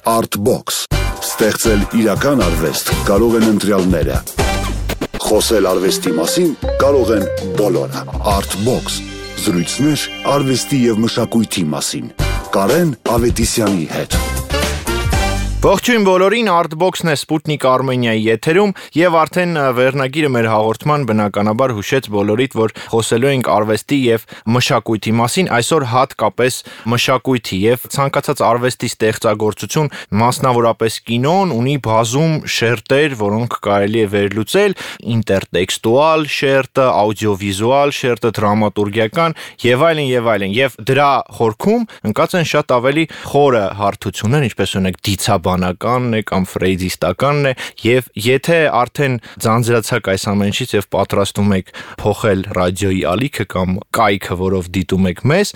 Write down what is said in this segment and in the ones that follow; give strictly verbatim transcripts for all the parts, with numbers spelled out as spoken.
Artbox. Ստեղծել իրական արվեստ կարող են ընտրյալները։ Խոսել արվեստի մասին կարող են բոլորը։ Artbox. Զրույցներ արվեստի և մշակույթի մասին։ Կարեն Ավետիսյանի հետ։ Ողջույն բոլորին, Artbox-ն է Sputnik Armenia-ի եթերում եւ արդեն վերնագիրը մեր հաղորդման բնականաբար հուշեց բոլորիդ, որ խոսելու ենք արվեստի եւ մշակույթի մասին, այսօր հատկապես մշակույթի եւ ցանկացած արվեստի ստեղծագործություն, մասնավորապես կինոն ունի բազում շերտեր, որոնք կարելի է վերլուծել, ինտերտեքստուալ շերտը, աուդիովիզուալ շերտը, դրամատուրգիական եւ այլն եւ այլն։ Եվ դրա խորքում ընկած են շատ ավելի խորը հարթություններ, ինչպես օրինակ դիցա բանականն է կամ ֆրեյդիստականն է եւ եթե արդեն ձանձրացաք այս ամեն ինչից եւ պատրաստում եք փոխել ռադիոյի ալիքը կամ կայքը, որով դիտում եք մեզ,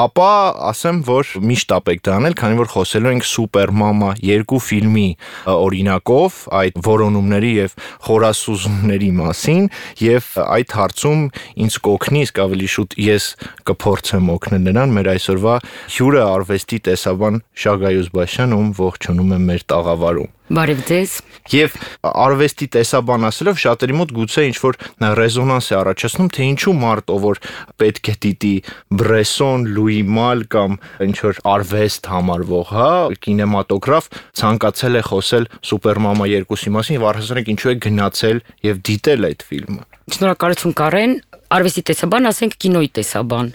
ապա ասեմ, որ միշտ ապեք դանել, քանի որ խոսելու ենք Սուպեր մամա երկու ֆիլմի օրինակով, այդ որոնումների եւ խորասուզումների մասին եւ այդ հարցում ինձ կօգնի իսկ ավելի շուտ ես կփորձեմ օգնել նրան մեր այսօրվա հյուրը արվեստի տեսաբան Շագայոզ Բաշյան, ում ողջունում մեր տաղավարում։ Բարև ձեզ։ Եվ արվեստի տեսաբան ասելով շատերի մոտ գուցե ինչ-որ ռեզոնանս է առաջացնում, թե ինչու մարդ, ով որ պետք է դիտի Բրեսոն, Լուի Մալ կամ ինչ-որ արվեստ համարվող, հա, կինեմատոգրաֆ, ցանկացել է խոսել Սուպեր մամա երկուսի մասին եւ առհասարակ ինչու է գնացել եւ դիտել այդ ֆիլմը։ Շնորհակալություն Կարեն, արվեստի տեսաբան, ասենք կինոյի տեսաբան։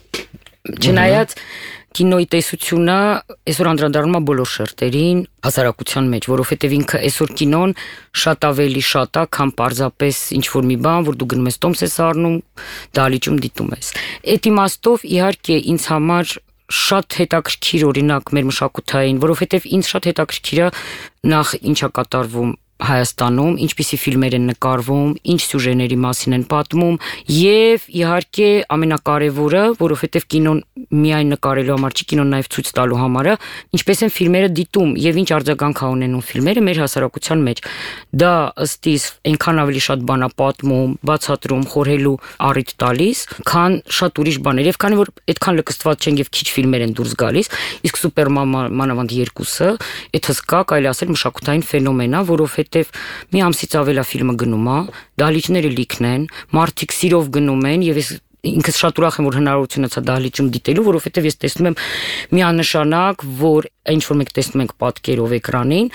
Չնայած կինոյի տեսությունը այսօր անդրադառնում է բոլոր շերտերին հասարակության մեջ, որովհետև ինքը այսօր կինոն շատ ավելի շատ է, քան պարզապես ինչ-որ մի բան, որ դու գնում ես տոմս ես առնում, դահլիճում դիտում ես։ Այդ իմաստով իհարկե ինձ համար շատ հետաքրքիր օրինակ մեր մշակութային, որովհետև ինձ շատ հետաքրքիր է նախ ինչա կատարվում Հայաստանում, ինչպիսի ֆիլմեր են նկարվում, ինչ սյուժեների մասին են պատմում եւ իհարկե ամենակարևորը, որովհետեւ կինոն միայն նկարելու համար չի, կինոն նաեւ ցույց տալու համար է, ինչպես են ֆիլմերը դիտում եւ ինչ արձագանք ունենում ֆիլմերը մեր հասարակության մեջ։ Դա ըստ իս այնքան ավելի շատ բան է պատմում, բացատրում, խորհելու առիթ տալիս, քան շատ ուրիշ բաներ։ Եվ քանի որ այդքան լկստված չեն եւ քիչ ֆիլմեր են դուրս գալիս, իսկ Սուպեր մամա մանավանդ երկուսը, այդ հսկա կարելի ասել մշակութային ֆենոմեն է, որովհետեւ մի ամսից ավել է ֆիլմը գնում է, դահլիճները լիքն են, մարդիկ սիրով գնում են եւ ես ինքս շատ ուրախ եմ, որ հնարավորություն ունեցա դահլիճում դիտելու, որովհետեւ ես տեսնում եմ միանշանակ, որ ինչ որ մենք տեսնում ենք պատկերով էկրանին,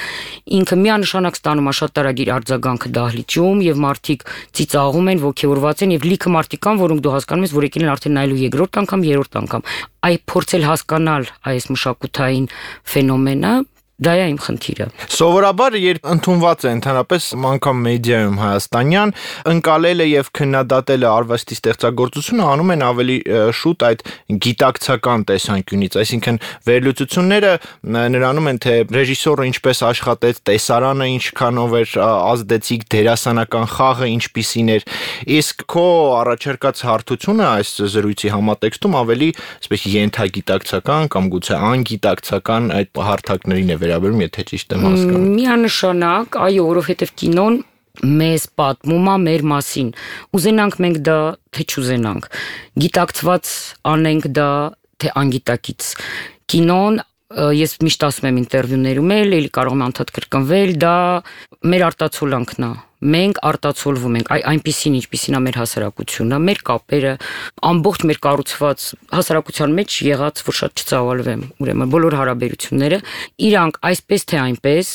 ինքը միանշանակ ստանում է շատ տարագիր արձագանքը դահլիճում եւ մարդիկ ծիծաղում են, ոգեվորված են եւ լիքը մարդիկ կան, որոնք դու հասկանում ես, որ եկել են արդեն նայելու երկրորդ անգամ, երրորդ անգամ։ Այ փորձել հասկանալ այս մշակութային ֆենոմենը դա է իմ խնդիրը։ Սովորաբար երբ ընդունված է ընդհանրապես անգամ մեդիայում հայաստանյան, ընկալելը եւ քննադատելը արվեստի ստեղծագործությունը անում են ավելի շուտ այդ գիտակցական տեսանկյունից, այսինքն վերլուծությունները նրանում են, թե ռեժիսորը ինչպես աշխատեց, տեսարանը ինչքանով էր ազդեցիկ, դերասանական խաղը ինչպիսին էր, իսկ քո առաջարկած հարթությունը այս զրույցի համատեքստում ավելի այսպես ենթագիտակցական կամ գուցե անգիտակցական այդ հարթակներին է վերաբերում, եթե ճիշտ եմ հասկանում։ Միանշանակ, այո, որովհետև կինոն մեզ պատմում է մեր մասին։ Ուզենանք մենք դա, թե չուզենանք։ Գիտակցված անենք դա, թե անգիտակից։ Կինոն, ես միշտ ասում եմ ինտերվյուներում էլ, էլի կարող եմ անդադ կրկնվել, դա մեր արտացոլանքն է։ Մենք արտացոլվում ենք, այնպիսին, ինչպիսին է մեր հասարակությունը, մեր կապերը, ամբողջ մեր կառուցված հասարակության մեջ եղած, որ շատ չծավալվեմ, ուրեմն բոլոր հարաբերությունները, իրանք այսպես թե այնպես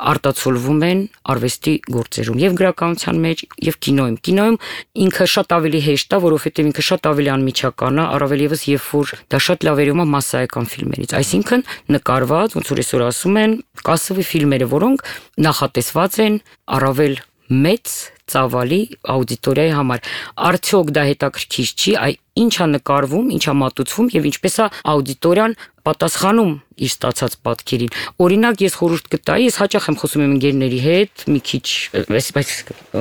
արտացոլվում են արվեստի գործերում եւ գրականության մեջ եւ կինոյում։ Կինոյում ինքը շատ ավելի հեշտ է, որովհետեւ ինքը շատ ավելի անմիջական է, առավել եւս երբ որ դա շատ լավ երևում է մասսայական ֆիլմերից, այսինքն նկարված, ոնց որ այսօր ասում են, կասովի ֆիլմերը, որոնք նախատեսված են առավել մեծ ծավալի աուդիտորիայի համար։ Արդյոք դա հետաքրքիր չի, այ ինչա նկարվում, ինչա մատուցվում եւ ինչպես է աուդիտորիան պատասխանում իր ստացած պատկերին։ Օրինակ ես խորհուրդ կտայի, ես հաճախ եմ խոսում իմ ընկերների հետ, մի քիչ այսպես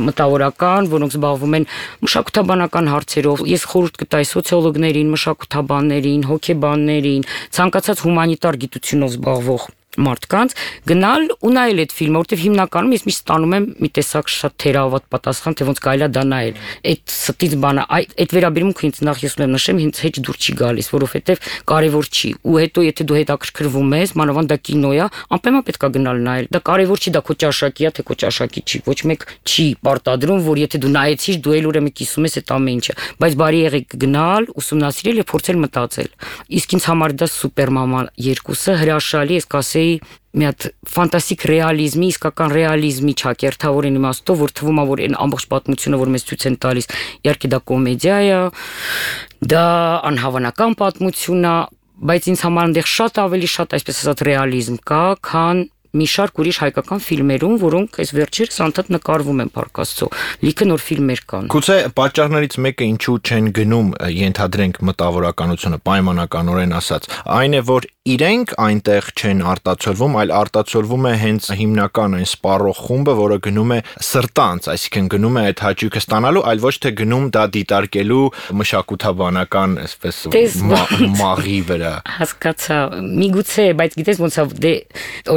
մտավորական, որոնք զբաղվում են մշակութաբանական հարցերով։ Ես խորհուրդ կտայի սոցիոլոգներին, մշակութաբաններին, հոգեբաններին, ցանկացած հումանիտար գիտությունով զբաղվող մարդկանց գնալ ու նայել այդ ֆիլմը, որտեղ հիմնականում ես միշտ ստանում եմ մի տեսակ շատ թերահավատ պատասխան, թե ոնց կարելի է դա նայել։ Այդ ստից բանը, այդ վերաբերմունքը ինձ նախ ես ունեմ նշեմ, ինձ հետ դուր չի գալիս, որովհետև կարևոր չի։ Ու հետո եթե դու հետաքրքրվում ես, մանավանդ դա կինո է, անպայման պետք է գնալ նայել։ Դա կարևոր չի, դա քո ճաշակի է, թե քո ճաշակի չի։ Ոչ մեկ չի պարտադրում, որ եթե դու նայեցիր, դու էլ ուրեմն կիսում ես այդ ամեն ինչը։ Բայց բարի եղեք գնալ, ուսումնասիրել եւ փորձել մտածել։ Իսկ ինձ համար դա Սուպեր մամա երկուսը հրաշալի, ես կասեի մի հատ ֆանտաստիկ ռեալիզմի, իսկական ռեալիզմի ճակերտավորին իմաստով, որ թվում է, որ այն ամբողջ պատմությունը, որ մեզ ցույց են տալիս, իհարկե դա կոմեդիա է, դա անհավանական պատմություն է, բայց ինձ համար այնտեղ շատ ավելի շատ, այսպես ասած, ռեալիզմ կա, քան մի շարք ուրիշ հայկական ֆիլմերում, որոնք այս վերջերս անդադ նկարվում են Փառք Աստծո։ Լիքը նոր ֆիլմեր կան։ Գուցե պատճառներից մեկը ինչու չեն գնում, ենթադրենք մտավորականությունը, պայմանականորեն ասած, այն է, որ իրենք այնտեղ չեն արտացոլվում, այլ արտացոլվում է հենց հիմնական այն սպառող խումբը, որը գնում է սրտանց, այսինքն գնում է այդ հաճույքը ստանալու, այլ ոչ թե գնում դա դիտարկելու մշակութաբանական, այսպես մաղի վրա։ Հասկացա, միգուցե, բայց գիտես ոնց է, դե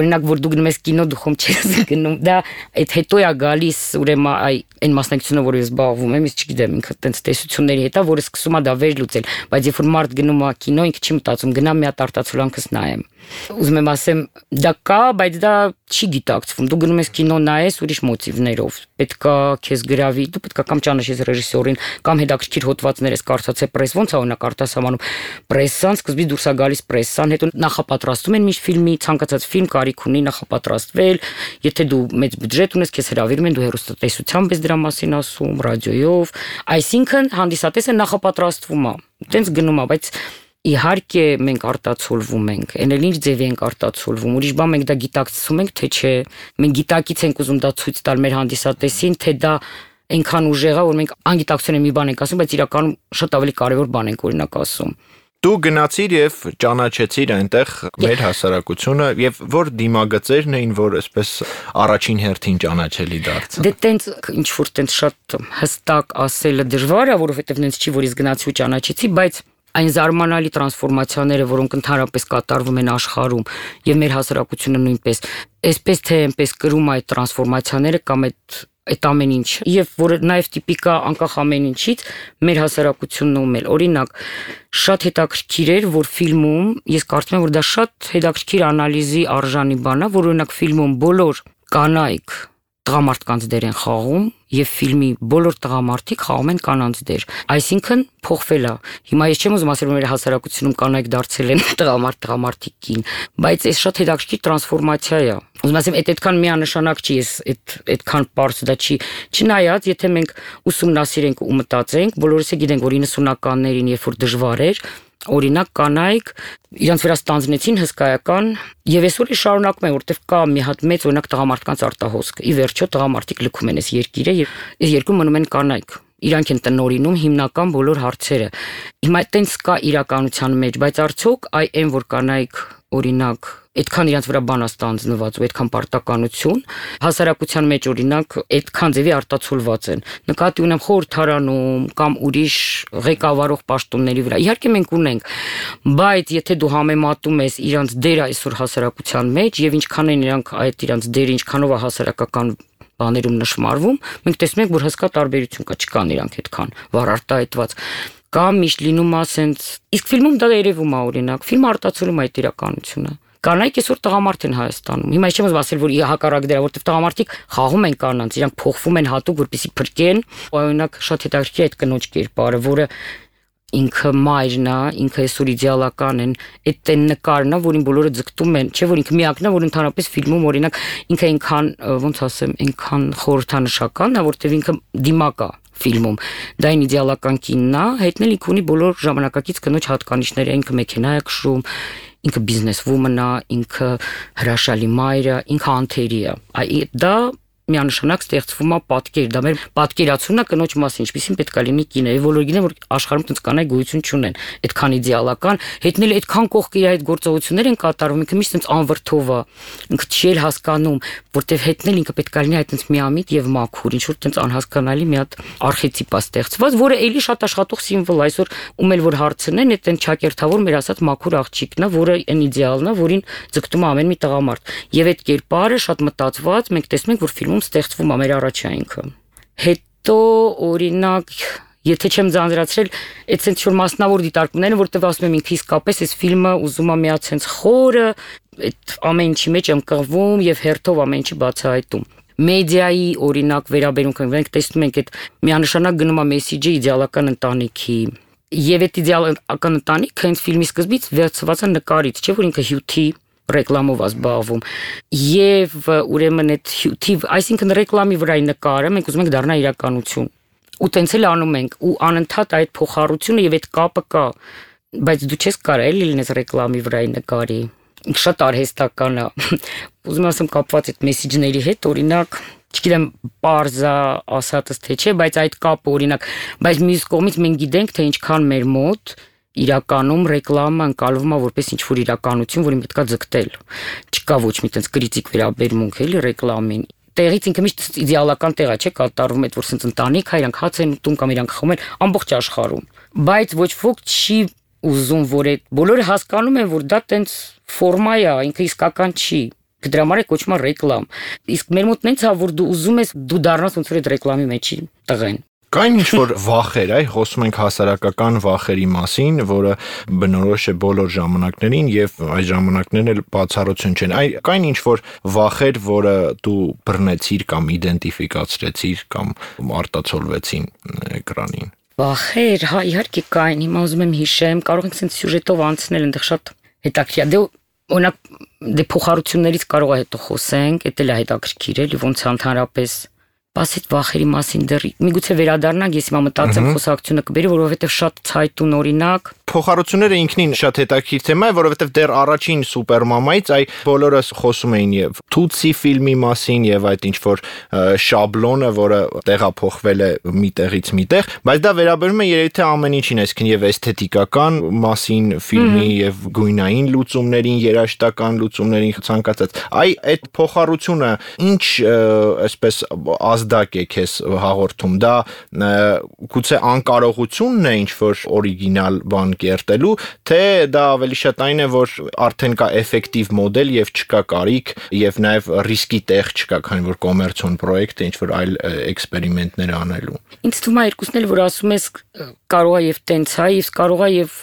օրինակ որ դու գնում ես կինո, դու խոմ չես գնում, դա այդ հետո է գալիս, ուրեմն այ այն մասնակցությունը, որ ես զբաղվում եմ, ես չգիտեմ, ինքը տենց տեսությունների հետ է, որը սկսում է դա վերլուծել, բայց երբ որ մարդ գնում է կինո, ինքը չի մտածում, գնամ մի հատ արտացոլանքս նայեմ։ Ուզում եմ ասեմ, դա կա, բայց դա չի գիտակցվում։ Դու գնում ես կինո նայես ուրիշ մոտիվներով։ Պետքա քեզ գրավի, դու պետքա կամ ճանաչես ռեժիսորին, կամ հետաքրքիր հոդվածներ ես կարդացել պրես, ոնց է օրինակ արտասահմանում պրեսան, սկզբից դուրս է գալիս պրեսան, հետո նախապատրաստում են միշտ ֆիլմի, ցանկացած ֆիլմ կարիք ունի նախապատրաստվել, եթե դու մեծ բյուջետ ունես, քեզ հրավիրում են, դու հեռուստատեսությամբ ես դրա մասին ասում, ռադիոյով, այսինքն հանդիսատեսը նախապատրաստվում է, տենց գնում է, բայց իհարկե մենք արտացոլվում ենք, այն էլ ինչ ձևի ենք արտացոլվում, ուրիշ բան մենք դա գիտակցում ենք, թե չէ, մենք գիտակից ենք ուզում դա ցույց տալ մեր հանդիսատեսին, թե դա այնքան ուժեղ է, որ մենք անգիտակցություն մի բան ենք ասում, բայց իրականում շատ ավելի կարևոր բան ենք օրինակ ասում։ Դու գնացիր եւ ճանաչեցիր այնտեղ մեր հասարակությունը եւ որ դիմագծերն էին, որ այսպես առաջին հերթին ճանաչելի դարձան։ Դե տենց ինչ որ տենց շատ հստակ ասելը դժվար է, որովհետեւ նենց չի, որ ես գնացի ու ճանաչեցի, բայց այն զարմանալի տրանսֆորմացիաները, որոնք ընդհանրապես կատարվում են աշխարհում եւ մեր հասարակությունը նույնպես, այսպես թե այնպես կրում այդ տրանսֆորմացիաները կամ այդ այդ ամեն ինչ եւ որը նաեւ տիպիկա անկախ ամեն ինչից մեր հասարակությունն ու մեր օրինակ շատ հետաքրքիր էր, որ ֆիլմում ես կարծում եմ, որ դա շատ հետաքրքիր անալիզի արժանի բան է, որ օրինակ ֆիլմում բոլոր կանայք տղամարդկանց դեր են խաղում եւ ֆիլմի բոլոր տղամարդիկ խաղում են կանանց դեր։ Այսինքն փոխվել է։ Հիմա ես չեմ ուզում ասել, որ մեր հասարակությունում կանայք դարձել են տղամարդ տղամարդիկին, բայց այս շատ հետաքրքիր տրանսֆորմացիա է։ Ուզում ասեմ, այդ այդքան միանշանակ չի, ես այդ այդքան པարզ դա չի։ Չնայած, եթե մենք ուսումնասիրենք ու մտածենք, բոլորս է գիտենք, որ իննսունականներին, երբ որ դժվար էր, օրինակ կանայք իրանց վրա ստանձնեցին հսկայական եւ այսօր է շարունակում են, որտեվ կա մի հատ մեծ օրինակ տղամարդկանց արտահոսք։ Ի վերջո տղամարդիկ լքում են այս երկիրը եւ այս երկրում մնում են կանայք։ Իրանք են տնորինում հիմնական բոլոր հարցերը։ Հիմա այտենց կա իրականության մեջ, բայց արդյոք այ այն որ կանայք օրինակ այդքան իրանց վրա բան է ստանձնված ու այդքան պարտականություն հասարակության մեջ օրինակ այդքան ձևի արտացոլված են։ Նկատի ունեմ խորհրդարանում կամ ուրիշ ղեկավարող պաշտոնների վրա։ Իհարկե մենք ունենք, բայց եթե դու համեմատում ես իրանց դերը այսօր հասարակության մեջ եւ ինչքան են իրանք այդ իրանց դերը ինչքանով է հասարակական բաներում նշмарվում, մենք տեսնում ենք, որ հսկա տարբերություն կա, չկան իրանք այդքան վառ արտահայտված։ Կամ միշտ լինում է ասենց, իսկ ֆիլմում դա երևում է օրինակ, ֆիլմը արտացոլում է այդ իրականությունը։ Կանայք այսօր տղամարդ են Հայաստանում։ Հիմա ես չեմ ուզում ասել, որ հակառակ դրա, որտեղ տղամարդիկ խաղում են կանանց, իրանք փոխվում են հատուկ, որպեսզի փրկեն, օրինակ շատ հետաքրքիր այդ կնոջ կերպարը, որը ինքը մայրն է, ինքը այսօր իդեալական են, այդ այն նկարն է, որին բոլորը ձգտում են, չէ՞ որ ինքը միակն է, որ ընդհանրապես ֆիլմում օրինակ ինքը այնքան, ոնց ասեմ, այնքան խորհրդանշական է, որտեղ ինքը դիմակ է ֆիլմում։ Դա այն իդեալական կինն է, հետնել ինքը ունի բոլոր ժամանակակից կնոջ հատկանիշները, ինքը մեքենա է քշում, ինքը բիզնես վումն է, ինքը հրաշալի մայր է, ինքը անթերի է։ Այ դա միանշանակ ստեղծվում է պատկեր, դա մեր պատկերացումն է կնոջ մասին, ինչպեսին պետք է լինի կինը, եւ բոլորը գիտեն, որ աշխարհում տենց կանայք գոյություն չունեն, այդքան իդեալական, հետնել այդքան կողք իր այդ գործողություններ են կատարվում, ինքը միշտ տենց անվրդով է, ինքը չի էլ հասկանում, որտեվ հետնել ինքը պետք է լինի այդ տենց միամիտ եւ մաքուր, ինչ որ տենց անհասկանալի մի հատ արխետիպ է ստեղծված, որը էլի շատ աշխատող սիմվոլ է, այսօր ում էլ որ հարցնեն, այդ տենց ճակերտավոր մեր ասած մաքուր աղջիկն է, որը այն իդեալն է, որին ձգտում է ամեն մի տղամարդ, եւ այդ կերպարը շատ մտածված, մենք տեսնում ենք, որ ֆիլմում ստեղծվում է մեր առաջայինքը։ Հետո օրինակ, եթե չեմ ձանձրացրել, այդ sense որ մասնավոր դիտարկումները, որտեղ ասում եմ ինքը իսկապես այս ֆիլմը ուզում է միած sense խորը, այդ ամեն ինչի մեջ ըմկղվում եւ հերթով ամեն ինչի բացահայտում։ Մեդիայի օրինակ վերաբերունքը մենք տեսնում ենք այդ միանշանակ գնում է մեսիջը իդեալական ընտանիքի եւ այդ իդեալական ընտանիքը հենց ֆիլմի սկզբից վերցված է նկարից, չէ՞ որ ինքը հյութի ռեկլամով ազբաղվում եւ ուրեմն այդ հյութի, այսինքն ռեկլամի վրայի նկարը մենք ուզում ենք դառնա իրականություն ու տենց էլ անում ենք ու անընդհատ այդ փոխառությունը եւ այդ կապը կա, բայց դու չես կարող էլի լինես ռեկլամի վրայի նկարի, շատ արհեստական է, ուզում ասեմ կապված այդ մեսիջների հետ, օրինակ չգիտեմ պարզա ասածս թե չէ, բայց այդ կապը օրինակ, բայց մյուս կողմից մենք գիտենք թե ինչքան մեր մոտ իրականում ռեկլամը ընկալվում է որպես ինչ-որ իրականություն, որին պետք է ձգտել։ Չկա ոչ մի տենց կրիտիկ վերաբերմունք էլի ռեկլամին։ Տեղից ինքը միշտ իդեալական տեղ է, չէ՞, կատարվում այդ որ սենց ընտանիք է, իրանք հաց են ուտում կամ իրանք խմում են ամբողջ աշխարհում։ Բայց ոչ ոք չի ուզում, որ այդ բոլորը հասկանում են, որ դա տենց ֆորմա է, ինքը իսկական չի։ Դրա համար է կոչվում ռեկլամ։ Իսկ մեր մոտ նենց է, որ դու ուզում ես դու դառնաս ոնց որ այդ ռեկլամի մեջի տղեն։ Կային ինչ-որ վախեր, այ խոսում ենք հասարակական վախերի մասին, որը բնորոշ է բոլոր ժամանակներին եւ այս ժամանակներն էլ բացառություն չեն։ Այ կային ինչ-որ վախեր, որը դու բռնեցիր կամ իդենտիֆիկացրեցիր կամ արտացոլվեցին էկրանին։ Վախեր, հա, իհարկե կային, հիմա ուզում եմ հիշեմ, կարող ենք sense սյուժետով անցնել, այնտեղ շատ հետաքրքիր է։ Դե օրինակ դե փոխառություններից կարող է հետո խոսենք, դա էլ է հետաքրքիր էլի, ոնց ընդհանրապես Բայց այդ վախերի մասին դեռ միգուցե վերադառնանք, ես հիմա մտածեմ խոսակցությունը կբերի, որովհետև շատ ցայտուն օրինակ Փոխառությունները ինքնին շատ հետաքրքիր թեմա է, որովհետև դեռ առաջին Սուպերմամայից այ բոլորը խոսում էին եւ Թուցի ֆիլմի մասին եւ այդ ինչ որ շաբլոնը, որը տեղափոխվել է մի տեղից մի տեղ, բայց դա վերաբերում է երևի թե ամեն ինչին, այսինքն եւ էսթետիկական մասին ֆիլմի եւ գույնային լուծումներին, երաժշտական լուծումներին ցանկացած։ Այ այդ փոխառությունը ինչ այսպես ազդակ է քեզ հաղորդում, դա գուցե անկարողությունն է ինչ որ օրիգինալ բան կերտելու, թե դա ավելի շատ այն է, որ արդեն կա էֆեկտիվ մոդել եւ չկա կարիք եւ նաեւ ռիսկի տեղ չկա, քանի որ կոմերցիոն պրոյեկտ է ինչ որ այլ էքսպերիմենտներ անելու։ Ինձ թվում է երկուսն էլ որ ասում ես կարող է եւ տենց է, իսկ կարող է եւ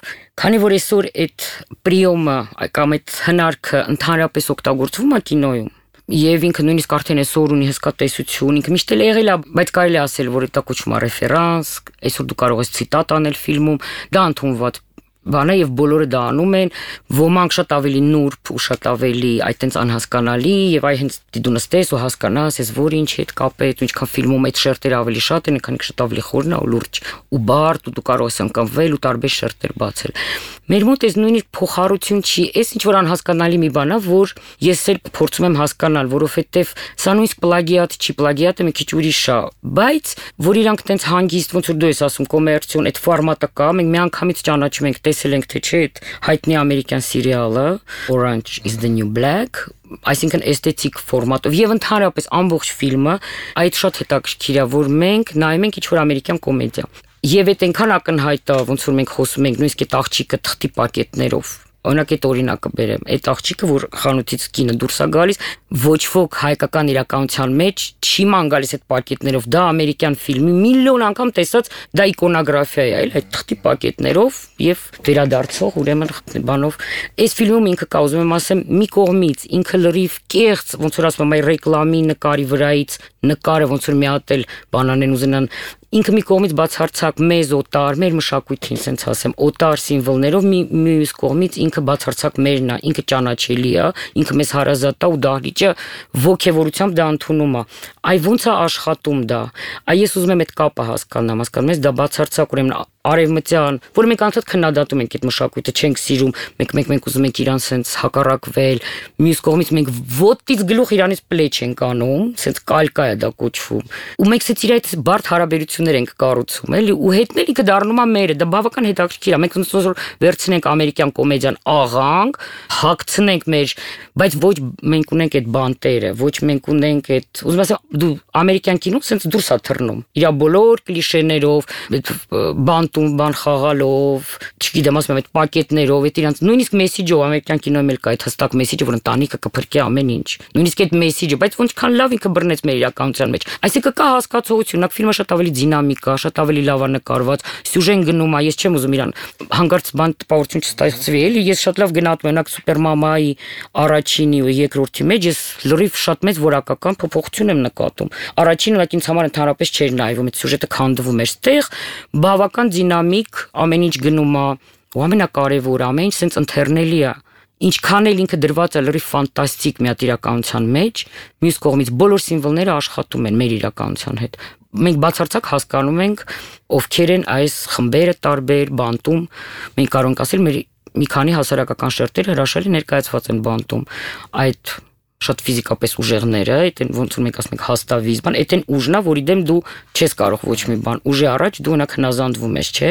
քանի որ այսօր այդ պրիոմը կամ այդ հնարքը ընդհանրապես օգտագործվում է կինոյում Եվ ինքը նույնիսկ արդեն այսօր ունի հսկա տեսություն, ինքը միշտ էլ եղել է, բայց կարելի է ասել, որ դա կոչվում է ռեֆերանս, այսօր դու կարող ես ցիտատ անել ֆիլմում, դա ընդունված բան է եւ բոլորը դա անում են, ոմանք շատ ավելի նուրբ ու շատ ավելի այտենց անհասկանալի եւ այ հենց դու նստես ու հասկանաս, ես որ ինչի հետ կապեց, ինչքան ֆիլմում այդ շերտերը ավելի շատ են, քանի շատ ավելի խորն է ու լուրջ ու բարդ ու դու կարող ես ընկնվել ու տարբեր շերտեր բացել։ Մեր մոտ էս նույնիսկ փոխառություն չի, էս ինչ որ անհասկանալի մի բան է, որ ես էլ փորձում եմ հասկանալ, որովհետեւ սա նույնիսկ պլագիատ չի, պլագիատը մի քիչ ուրիշ է, բայց որ իրանք տենց հանգիստ ոնց որ դու ես ասում կոմերցիոն այդ ֆորմատը կա, մենք միանգամից ճանաչում ենք, տեսել ենք թե չէ այդ հայտնի ամերիկյան սերիալը Orange is the New Black, այսինքն էսթետիկ ֆորմատով եւ ընդհանրապես ամբողջ ֆիլմը այդ շատ հետաքրքիր է, որ մենք նայում ենք ինչ որ ամերիկյան կոմեդիա Եվ այդ այնքան ակնհայտ է, ոնց որ մենք խոսում ենք, նույնիսկ այդ աղջիկը թղթի պակետներով։ Օրինակ այդ օրինակը բերեմ, այդ աղջիկը, որ խանութից կինը դուրս է գալիս, ոչ ոք հայկական իրականության մեջ չի ման գալիս այդ պակետներով, դա ամերիկյան ֆիլմի միլիոն անգամ տեսած, դա իկոնոգրաֆիա է, այլ այդ թղթի պակետներով եւ վերադարձող ուրեմն բանով։ Այս ֆիլմում ինքը կա, ուզում եմ ասեմ, մի կողմից ինքը լրիվ կեղծ, ոնց որ ասում եմ, այ ռեկլամի նկարի վրայից նկարը ոնց որ մի հատ էլ բանանեն ուզենան Ինքը մի կողմից բացարձակ մեզ օտար, մեր մշակույթին, ասենց ասեմ, օտար սիմվոլներով, մի մյուս կողմից ինքը բացարձակ մերն է, ինքը ճանաչելի է, ինքը մեզ հարազատ է ու դահլիճը ոգևորությամբ դա ընդունում է։ Այ ոնց է աշխատում դա։ Այ ես ուզում եմ այդ կապը հասկանամ, հասկանում ես, դա բացարձակ ուրեմն արևմտյան, որ մենք անդադ քննադատում ենք այդ մշակույթը, չենք սիրում, մենք մենք մենք ուզում ենք իրան սենց հակառակվել, մյուս կողմից մենք ոտից գլուխ իրանից պլեչ ենք անում, սենց կալկա է է դա կոչվում։ Ու մենք սից իր այդ բարդ հարաբերություններ ենք կառուցում, էլի, ու հետն էլ ինքը դառնում է մերը, դա բավական հետաքրքիր է։ Մենք ոնց որ վերցնենք ամերիկյան կոմեդիան աղանք, հագցնենք մեր, բայց ոչ մենք ունենք այդ բանտերը, ոչ մենք ունենք այդ, ուզում ասեմ, դու ամերիկյան կինոն սենց դուրս է թռնում։ Իր բոլոր կլիշեներով, բանտում բան խաղալով, չգիտեմ, ասում եմ, այդ պակետներով, այդ իրանց նույնիսկ մեսիջով ամերիկյան կինոյում էլ կա այդ հստակ մեսիջը, որ ընտանիքը կփրկի ամեն ինչ։ Նույնիսկ այդ մեսիջը, բայց ոնցքան լավ ինքը բռնեց մեր իրականության մեջ։ Այսինքն կա հասկացողություն, նա ֆիլմը շատ ավելի դինամիկ է, շատ ավելի լավ է նկարված, սյուժեն գնում է, ես չեմ ուզում իրան հանկարծ բան տպավորություն չստացվի, էլի, ես շատ լավ գնահատում եմ, օրինակ Սուպերմամայի առաջինի ու երկրորդի մեջ ես լրիվ շատ մեծ որակական փոփոխություն եմ նկատում։ Առաջինը ուղղակի ինձ համար ընդհանրապես չէր նայվում, այդ սյուժետը քանդվում էր, ստեղ բավական դինամիկ, ամեն ինչ գնում է, ու ամենակարևորը, ամեն ինչ սենց ընթեռնելի է։ Ինչքան էլ ինքը դրված է լրիվ ֆանտաստիկ մի հատ իրականության մեջ, մյուս կողմից բոլոր սիմվոլները աշխատում են մեր իրականության հետ։ Մենք բացարձակ հասկանում ենք ովքեր են այս խմբերը տարբեր բանտում, մենք կարող ենք ասել մեր մի քանի հասարակական շերտեր հրաշալի ներկայացված են բանտում, այդ շատ ֆիզիկապես ուժեղները, այդ ոնց որ մենք ասում ենք հաստավիզ, բան, այդ են ուժնա, որի դեմ դու չես կարող ոչ մի բան, ուժի առաջ դու ունակ հնազանդվում ես, չէ։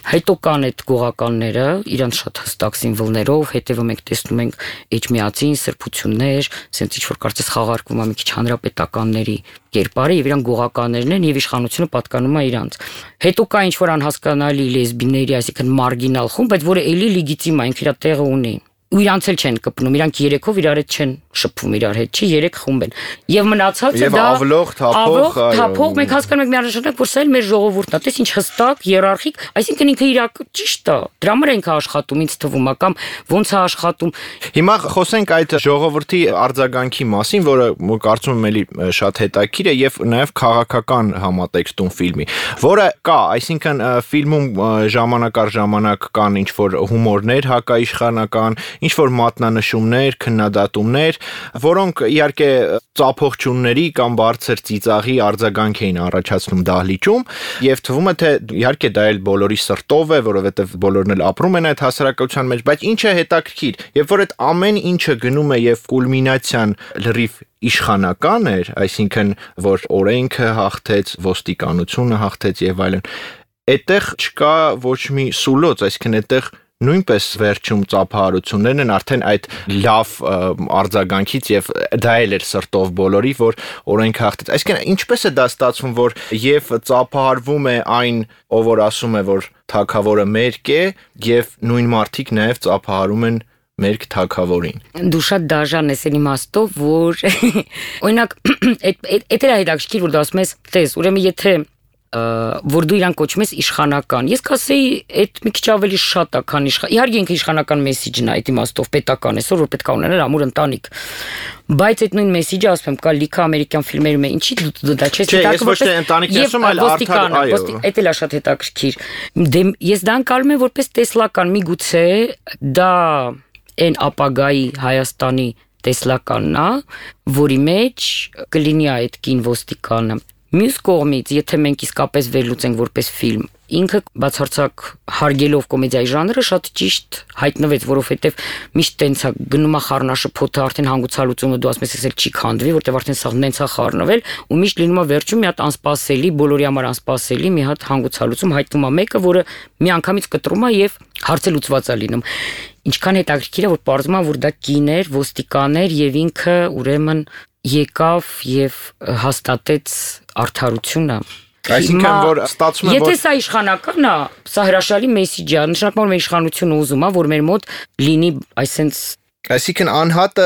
Հետո կան այդ գողականները, իրանց շատ հստակ սիմվոլներով, հետևում ենք տեսնում ենք էջմիածին, սրբություններ, սենց ինչ որ կարծես խաղարկվում է մի քիչ հանրապետականների կերպարը եւ իրան գողականներն են եւ իշխանությունը պատկանում է իրանց։ Հետո կա ինչ որ անհասկանալի լեսբիների, այսինքն մարգինալ խումբ, բայց որը էլի լեգիտիմ է, ինքը իր տեղը ունի։ Ու իրանց էլ չեն կպնում, իրանք երեքով իրար հետ չեն շփվում իրար հետ, չի երեք խումբ են։ Եվ մնացածը դա ավլող, թափող, թափող, մենք հասկանում ենք միանշանակ, որ սա էլ մեր ժողովուրդն է, տես ինչ հստակ, իերարխիկ, այսինքն ինքը իրակ ճիշտ է։ Դրա համար ենք աշխատում, ինձ թվում է, կամ ոնց է աշխատում։ Հիմա խոսենք այդ ժողովրդի արձագանքի մասին, որը կարծում եմ էլի շատ հետաքրքիր է եւ նաեւ քաղաքական համատեքստում ֆիլմի, որը կա, այսինքն ֆիլմում ժամանակ առ ժամանակ կան ինչ որ հումորներ հակաիշխանական, ինչ որ մատնանշումներ, քննադատումներ, որոնք իհարկե ծափողջունների կամ բարձր ծիծաղի արձագանք էին առաջացնում դահլիճում, եւ թվում է թե իհարկե դա էլ բոլորի սրտով է, որովհետեւ բոլորն էլ ապրում են այդ հասարակության մեջ, բայց ինչ է հետաքրքիր, երբ որ այդ ամեն ինչը գնում է եւ կուլմինացիան լրիվ իշխանական էր, այսինքն որ օրենքը հաղթեց, ոստիկանությունը հաղթեց եւ այլն, այդտեղ չկա ոչ մի սուլոց, այսինքն այդտեղ նույնպես վերջում ծափահարություններն են արդեն այդ լավ արձագանքից եւ դա էլ էր սրտով բոլորի, որ օրենք հաղթեց։ Այսինքն ինչպես է դա ստացվում, որ եւ ծափահարվում է այն, ով որ ասում է, որ թագավորը մերկ է, եւ նույն մարդիկ նաեւ ծափահարում են մերկ թագավորին։ Դու շատ դաժան ես այն իմաստով, որ օրինակ այդ էր հետաքրքիր, որ դու ասում ես, տես, ուրեմն եթե որ դու իրան կոչում ես իշխանական։ Ես կասեի, այդ մի քիչ ավելի շատ է, քան իշխան։ Իհարկե ինքը իշխանական մեսիջն է, այդ իմաստով պետական է, որ պետք է ունենալ ամուր ընտանիք։ Բայց այդ նույն մեսիջը, ասում եմ, կա լիքը ամերիկյան ֆիլմերում է, ինչի դու դա չես հետաքրքիր։ Չէ, ես ոչ թե ընտանիքն ասում, այլ արդար, այո։ Այդ էլ է շատ հետաքրքիր։ Դե ես դա անցալում եմ որպես տեսլական, միգուցե դա այն ապագայի Հայաստանի տեսլականն է, որի մեջ կլինի այդ կին ոստիկանը։ Մյուս կողմից, եթե մենք իսկապես վերլուծենք որպես ֆիլմ, ինքը բացարձակ հարգելով կոմեդիայի ժանրը շատ ճիշտ հայտնվեց, որովհետև միշտ տենց է գնում է խառնաշփոթը, արդեն հանգուցալուծումը դու ասում ես, էսել չի քանդվի, որտեղ արդեն սա նենց է խառնվել, ու միշտ լինում է վերջում մի հատ անսպասելի, բոլորի համար անսպասելի մի հատ հանգուցալուծում հայտնում է մեկը, որը միանգամից կտրում է եւ հարցը լուծված է լինում։ Ինչքան հետաքրքիր է, որ պարզվում է, որ դա կին էր, ոստիկան էր եւ ինքը ուրեմն եկավ եւ հաստատեց արդարությունը։ Այսինքն որ ստացվում է, որ եթե սա իշխանական է, սա հրաշալի մեսիջ է, նշանակում է իշխանությունը ուզում է, որ մեր մոտ լինի այսենց Այսինքն անհատը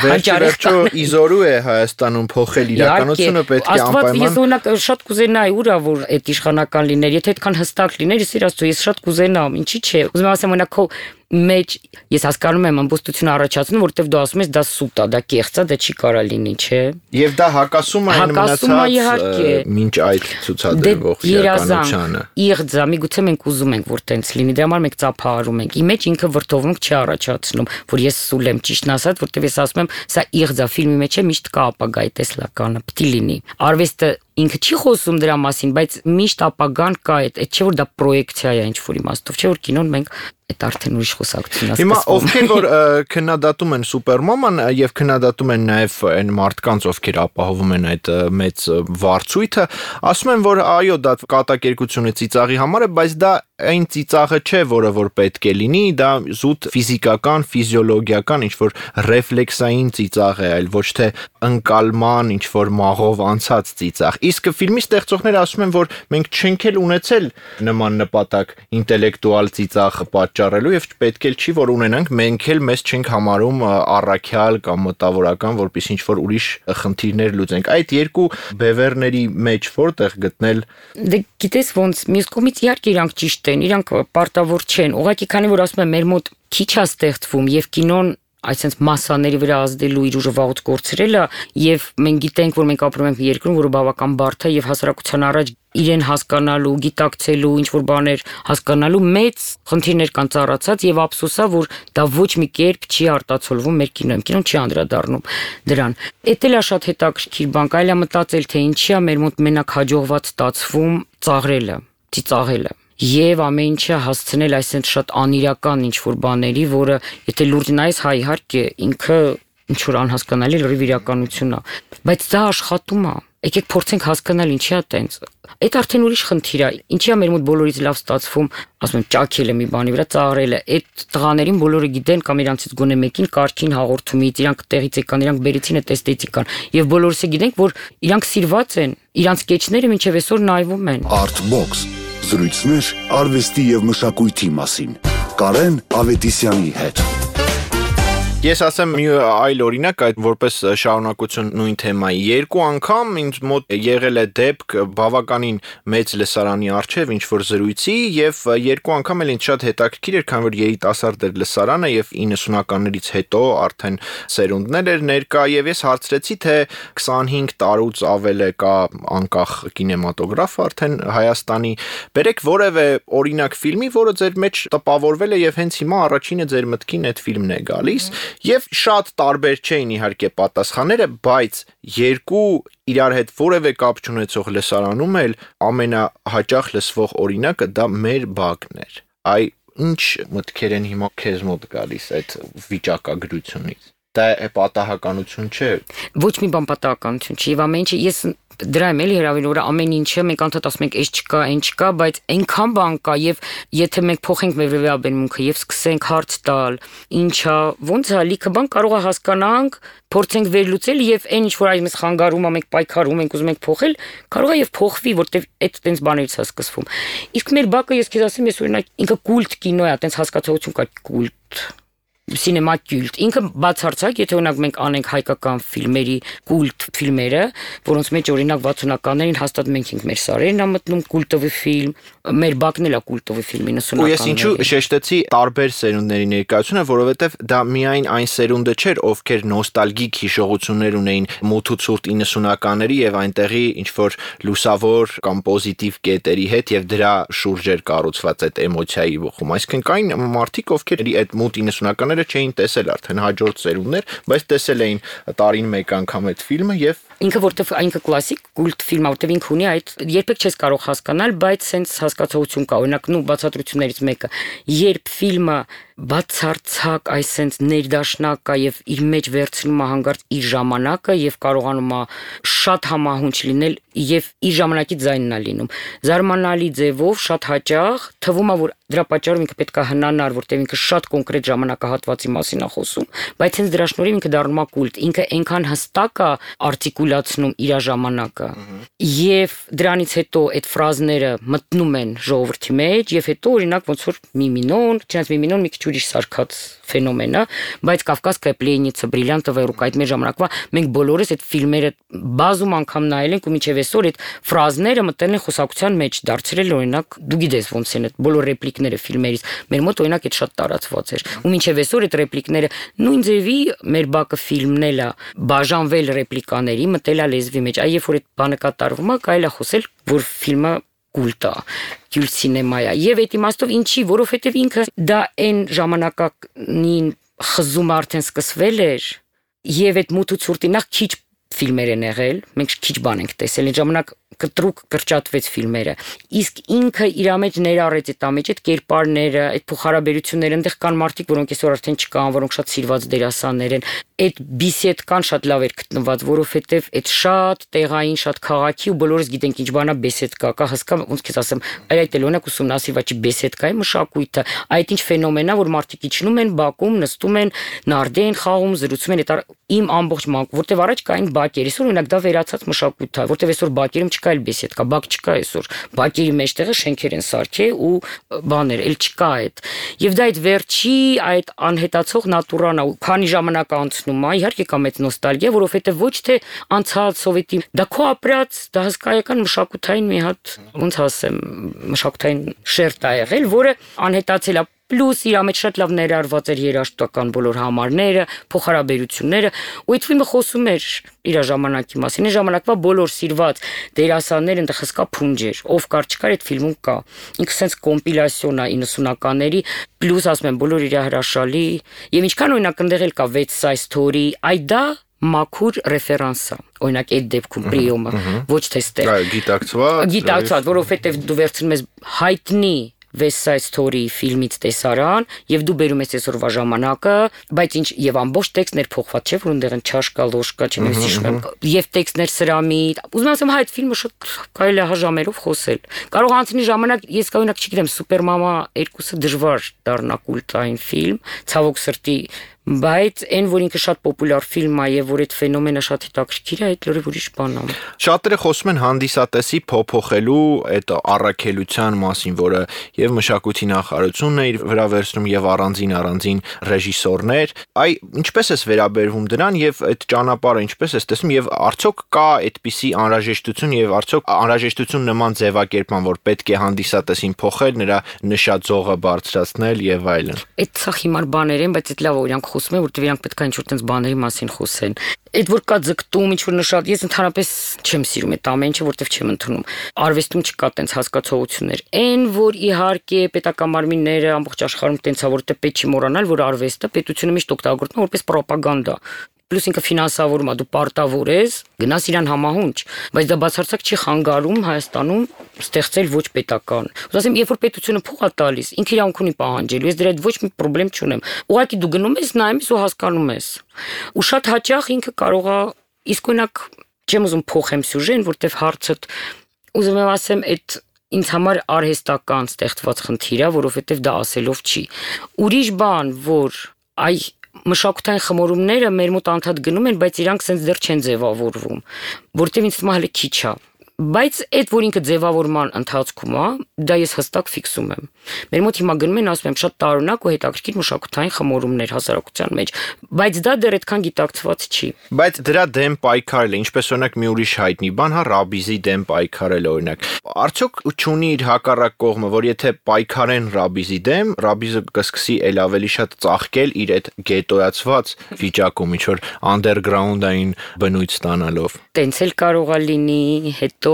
վերջերիչո իզորու է Հայաստանում փոխել իրականությունը պետք է անպայման։ Ես օրինակ շատ կուզենայի ուրա որ այդ իշխանական լիներ, եթե այդքան հստակ լիներ, ես իրաց ես շատ կուզենամ, ինչի՞ չէ։ Ուզում եմ ասեմ օրինակ քո մեջ ես հասկանում եմ ամբողջությունը առաջացնում, որովհետև դու ասում ես դա սուտ է, դա կեղծ է, դա չի կարա լինի, չէ։ Եվ դա հակասում է այն մնացած մինչ այդ ցուցադրվող իրականությանը։ Իղձ է, միգուցե մենք ուզում ենք որ տենց լինի, դրա համար մենք ծափահարում ենք։ Ի մեջ ինքը վրդովմունք չի առաջացնում, որ ես սուլ եմ, ճիշտն ասած, որովհետև ես ասում եմ, սա իղձ է, ֆիլմի մեջ է միշտ կա ապագայի տեսլականը, պետք է լինի։ Արվեստը ինքը չի խոսում դրա մասին, բայց միշտ ապագան կա, այդ չէ որ դա պրոյեկցիա է ինչ-որ իմաստով, չէ որ կինոն մենք այդ արդեն ուրիշ խոսակցություն է։ Հիմա ովքեր որ քննադատում են Սուպերմաման եւ քննադատում են նաեւ այն մարդկանց, ովքեր ապահովում են այդ մեծ վարձույթը, ասում են, որ այո, դա կատակերգություն է ծիծաղի համար է, բայց դա այն ծիծաղը չէ, որը որ պետք է լինի, դա զուտ ֆիզիկական, ֆիզիոլոգիական ինչ-որ ռեֆլեքսային ծիծաղ է, այլ ոչ թե ընկալման ինչ-որ մաղով անցած ծիծաղ։ Իսկ ֆիլմի ստեղծողները ասում են, որ մենք չենք էլ ունեցել նման նպատակ ինտելեկտուալ ծիծաղ պատճառելու եւ պետք էլ չի, որ ունենանք, մենք էլ մեզ չենք համարում առաքյալ կամ մտավորական, որպես ինչ-որ ուրիշ խնդիրներ լուծենք։ Այդ երկու բևեռների մեջ որտեղ գտնել։ Դե գիտես ոնց, մյուս կողմից իհարկե իրանք ճիշտ են, իրանք պարտավոր չեն։ Ուղղակի քանի որ ասում եմ, մեր մոտ քիչ է ստեղծվում եւ կինոն այսինքն մասաների վրա ազդելու իր ուժը վաղուց կորցրել է եւ մենք գիտենք, որ մենք ապրում ենք երկրում, որը բավական բարդ է եւ հասարակության առաջ իրեն հասկանալու, գիտակցելու, ինչ որ բաներ հասկանալու մեծ խնդիրներ կան ծառացած եւ ափսոսա, որ դա ոչ մի կերպ չի արտացոլվում մեր կինոյում, կինոն չի անդրադառնում դրան։ Էդ էլ է շատ հետաքրքիր բան, այլ է մտածել, թե ինչի է մեր մոտ մենակ հաջողված ստացվում ծաղրելը, ծիծաղելը։ Եվ ամեն ինչը հասցնել այսինքն շատ անիրական ինչ-որ բաների, որը եթե լուրջ նայես, հա իհարկե ինքը ինչ-որ անհասկանալի լրիվ իրականություն է, բայց դա աշխատում է։ Եկեք փորձենք հասկանալ ինչի է տենց։ Այդ արդեն ուրիշ խնդիր է։ Ինչի է մեր մոտ բոլորից լավ ստացվում, ասում եմ, ճաքելը մի բանի վրա ծաղրելը։ Այդ տղաներին բոլորը գիտեն կամ իրանցից գոնե մեկին կարգին հաղորդումից, իրանք տեղից եկան, իրանք բերեցին այդ էսթետիկան։ Եվ բոլորս է գիտենք, որ իրանք սիրված են, իրանք սկեչները մինչև այսօր նայվում են։ Artbox զրույցներ արվեստի եւ մշակույթի մասին։ Կարեն Ավետիսյանի հետ։ Ես ասեմ մի այլ օրինակ, այդ որպես շարունակություն նույն թեմայի։ Երկու անգամ ինձ մոտ եղել է դեպք բավականին մեծ լսարանի առջև ինչ-որ զրույցի եւ երկու անգամ էլ ինձ շատ հետաքրքիր էր, քանի որ երիտասարդ էր լսարանը եւ իննսունականներից հետո արդեն սերունդներ էր ներկա եւ ես հարցրեցի, թե քսանհինգ տարուց ավել է կա անկախ կինեմատոգրաֆ արդեն Հայաստանի։ Բերեք որևէ օրինակ ֆիլմի, որը ձեր մեջ տպավորվել է եւ հենց հիմա առաջինը ձեր մտքին այդ ֆիլմն է գալիս։ Եվ շատ տարբեր չէին իհարկե պատասխանները, բայց երկու իրար հետ որևէ կապ չունեցող լսարանում էլ ամենահաճախ լսվող օրինակը դա մեր բակն էր։ Այ ինչ մտքեր են հիմա քեզ մոտ գալիս այդ վիճակագրությունից։ Դա է պատահականություն չէ։ Ոչ մի բան պատահականություն չի, եւ ամեն ինչը ես դրա եմ էլի հրավիրել, որ ամեն ինչը մենք անդադ ասում ենք, այս չկա, այն չկա, բայց այնքան բան կա եւ եթե մենք փոխենք մեր վերաբերմունքը եւ սկսենք հարց տալ, ինչա, ոնց է, լիքը բան կարող է հասկանանք, փորձենք վերլուծել եւ այն ինչ որ այս խանգարում է, մենք պայքարում ենք, ուզում ենք փոխել, կարող է եւ փոխվի, որտեվ այդ տենց բաներից է սկսվում։ Իսկ մեր բակը ես քեզ ասեմ, ես օրինակ ինքը կուլտ կինո է, տենց հասկացողություն կա կուլտ սինեմա կուլտ։ Ինքը բացարձակ, եթե օրինակ մենք անենք հայկական ֆիլմերի կուլտ ֆիլմերը, որոնց մեջ օրինակ վաթսունականներին հաստատ մենք ենք մեր սարերն ա մտնում կուլտովի ֆիլմ, մեր բակն էլ է կուլտովի ֆիլմի նսունականների։ Ու ես ինչու շեշտեցի տարբեր սերունդների ներկայությունը, որովհետև դա միայն այն սերունդը չէր, ովքեր նոստալգիկ հիշողություններ ունեին մութ ու ցուրտ իննսունականների եւ այնտեղի ինչ որ լուսավոր կամ պոզիտիվ կետերի հետ եւ դրա շուրջ էր կառուցված այդ էմոցիայի ողում։ Այսինքն կային մարդիկ, ովքեր այդ մութ իննսունականները չէին տեսել արդեն հաջորդ սերունդներ, բայց տեսել էին տարին մեկ անգամ այդ ֆիլմը եւ ինքը որտեվ այնքը կլասիկ կուլտ ֆիլմ է, որտեվ ինքը ունի այդ երբեք չես կարող հասկանալ, բայց սենց հասկացողություն կա, օրինակ նու բացատրություններից մեկը, երբ ֆիլմը բացարձակ այսենց ներդաշնակ է եւ իր մեջ վերցնում է հանգարց իր ժամանակը եւ կարողանում է շատ համահունչ լինել եւ իր ժամանակի ձայնն է լինում։ Զարմանալի ձևով շատ հաճախ թվում է, որ դրա պատճառով ինքը պետք է հնանար, որտեվ ինքը շատ կոնկրետ ժամանակահատվածի մասին է խոսում, բայց հենց դրա շնորհիվ ինքը դառնում է կուլտ, ինքը այնքան հստակ է արտիկուլացնում իր ժամանակը եւ դրանից հետո այդ ֆրազները մտնում են ժողովրդի մեջ եւ հետո օրինակ ոնց որ Միմինոն, չնայած Միմինոն մի քիչ ուրիշ սարքած ֆենոմեն է, բայց Կավկասկայա պլեննիցա, Բրիլյանտովա ռուկա այդ մեր ժամանակվա մենք բոլորս այդ ֆիլմերը բազում անգամ նայել ենք ու մինչև այսօր այդ ֆրազները մտել են խոսակցության մեջ, դարձրել օրինակ դու գիտես ոնց են այդ բոլոր ռեպլիկները ֆիլմերից, մեր մոտ օրինակ այդ շատ տարածված էր ու մինչև այսօր այդ ռեպլիկները նույն ձևի մեր բակը ֆիլմն էլ է բաժանվել ռեպլիկաների, մտել է լեզվի մեջ, այ երբ որ այդ բանը կատարվում է, կարելի է խոսել, որ ֆիլմը կուլտ է, կուլտ սինեմա է եւ այդ իմաստով ինչի, որովհետեւ ինքը դա այն ժամանակին խզումը արդեն սկսվել էր եւ այդ մութ ու ցուրտի նախ քիչ ֆիլմեր են եղել, մենք քիչ բան ենք տեսել, այն ժամանակ կտրուկ կրճատվեց ֆիլմերը։ Իսկ ինքը իր մեջ ներառեց այդ ամեջ այդ կերպարները, այդ փոխհարաբերությունները, այնտեղ կան մարդիկ, որոնք այսօր արդեն չկան, որոնք շատ սիրված դերասաններ են։ Այդ բիսեդկան շատ լավ էր գտնված, որովհետև այդ շատ տեղային, շատ քաղաքի ու բոլորս գիտենք ինչ բանա բեսեդկա, կա հսկա, ոնց քեզ ասեմ, այդ էլ օրինակ ուսումնասիրված չի բեսեդկայի մշակույթը, այդ ինչ ֆենոմեն է, որ մարդիկ իջնում են Բաքում, նստում են, նարդի են խաղում, զրուցում են, այդ իմ ամբողջ մանկու, որտեվ առաջ կային բակեր, այսօր օրինակ դա վերացած մշակույթ է, որտեվ այսօր բակերում չկա այլ բեսեդկա, բակ չկա այսօր, բակերի մեջտեղը շենքեր են սարքել ու բաներ, էլ չկա այդ։ Եվ դա այդ վերջի այդ անհետացող նատուրան է, քանի ժամանակ անցնում է, իհարկե կա մեծ նոստալգիա, որովհետև ոչ թե անցած սովետի, դա քո ապրած, դա հսկայական մշակութային մի հատ, ոնց ասեմ, մշակութային շերտ է եղել, որը անհետացել է։ Պլյուս իր մեջ շատ լավ ներառված էր երաժշտական բոլոր համարները, փոխհարաբերությունները, ու այդ ֆիլմը խոսում էր իր ժամանակի մասին։ Այն ժամանակվա բոլոր սիրված դերասանները այնտեղ հսկա փունջ էր, ով կար չկար այդ ֆիլմում կա։ Ինքը sense կոմպիլյասիոն է իննսունականների, պլյուս ասում եմ բոլոր իր հրաշալի, եւ ինչքան օրինակ այնտեղ էլ կա West Side Story, այ դա մաքուր ռեֆերանս է, օրինակ այդ դեպքում պրիոմը, ոչ թե ստեղ։ Գիտակցված, գիտակցված, որովհետեւ դու վերցնում ես հայտնի West Side Story ֆիլմից տեսարան եւ դու բերում ես այսօրվա ժամանակը, բայց ինչ եւ ամբողջ տեքստներ փոխված չէ, որ այնտեղ չաշկա, լոշկա, չեմ հիշում եմ, եւ տեքստներ սրամի։ Ուզում եմ ասեմ, հայ այդ ֆիլմը շատ կարելի է հաժամերով խոսել։ Կարող անցնի ժամանակ, ես կօրինակ չգիտեմ, Սուպեր մամա երկուսը դժվար դառնա կուլտային ֆիլմ, ցավոք սրտի, բայց այն որ ինքը շատ պոպուլյար ֆիլմ է եւ որ այդ ֆենոմենը շատ հետաքրքիր է, այդ լրիվ ուրիշ բան է։ Շատերը խոսում են հանդիսատեսի փոփոխելու այդ առաքելության մասին, որը եւ մշակույթի նախարարությունն է իր վրա վերցնում եւ առանձին առանձին ռեժիսորներ։ Այ ինչպես ես վերաբերվում դրան եւ այդ ճանապարհը ինչպես ես տեսնում եւ արդյոք կա այդպիսի անհրաժեշտություն եւ արդյոք անհրաժեշտություն նման ձևակերպման, որ պետք է հանդիսատեսին փոխել, նրա նշած ձողը բարձրացնել եւ այլն։ Այդ սա հիմար բաներ են, բայց այդ լավ օրինակ խոսում եմ, որտեղ իրանք պետք է ինչ-որ տենց բաների մասին խոսեն։ Այդ որ կա ձգտում, ինչ-որ նշած, ես ընդհանրապես չեմ սիրում այդ ամեն ինչը, որտեղ չեմ ընդունում։ Արվեստում չկա տենց հասկացողություններ։ Այն որ իհարկե պետական մարմինները ամբողջ աշխարհում տենց է, որտեղ պետք չի մոռանալ, որ արվեստը պետությունը միշտ օգտագործում է որպես ռոպագանդա։ Պլյուս ինքը ֆինանսավորում է, դու պարտավոր ես, գնաս իրան համահունչ, բայց դա բացարձակ չի խանգարում Հայաստանում ստեղծել ոչ պետական։ Ուզում եմ, երբ որ պետությունը փող է տալիս, ինքը իրավունք ունի պահանջելու, ես դրա հետ ոչ մի խնդրեմ չունեմ։ Ուղղակի դու գնում ես, նայում ես ու հասկանում ես։ Ու շատ հաճախ ինքը կարող է, իսկ օրինակ չեմ ուզում փոխեմ սյուժեն, որտեվ հարցը ուզում եմ ասեմ, այդ ինձ համար արհեստական ստեղծված խնդիր է, որովհետև դա ասելով չի։ Ուրիշ բան, որ այ մշակութային խմորումները մեր մոտ անդադ գնում են, բայց իրանք սենց դեռ չեն ձևավորվում, որտեղ ինձ թվում է հələ քիչ է։ Բայց այդ որ ինքը ձևավորման ընթացքում է, դա ես հստակ ֆիքսում եմ։ Մեր մոտ հիմա գնում են, ասում եմ, շատ տարօրինակ ու հետաքրքիր մշակութային խմորումներ հասարակության մեջ, բայց դա դեռ այդքան գիտակցված չի։ Բայց դրա դեմ պայքարել է, ինչպես օրինակ մի ուրիշ հայտնի բան, հա, Ռաբիզի դեմ պայքարել օրինակ։ Արդյոք չունի իր հակառակ կողմը, որ եթե պայքարեն Ռաբիզի դեմ, Ռաբիզը կսկսի ել ավելի շատ ծաղկել իր այդ գետոյացված վիճակում, ինչ որ անդերգրաունդային բնույթ ստանալով։ Տենց էլ կարող է լինի, հետո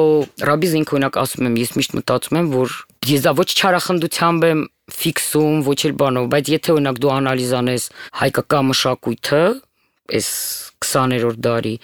Ռաբիզին օրինակ ասում եմ, ես միշտ մտածում եմ, որ ես դա ոչ չարախնդությամբ եմ ֆիքսում, ոչ էլ բանով, բայց եթե օրինակ դու անալիզ անես հայկական մշակույթը, այս քսաներորդ դարի,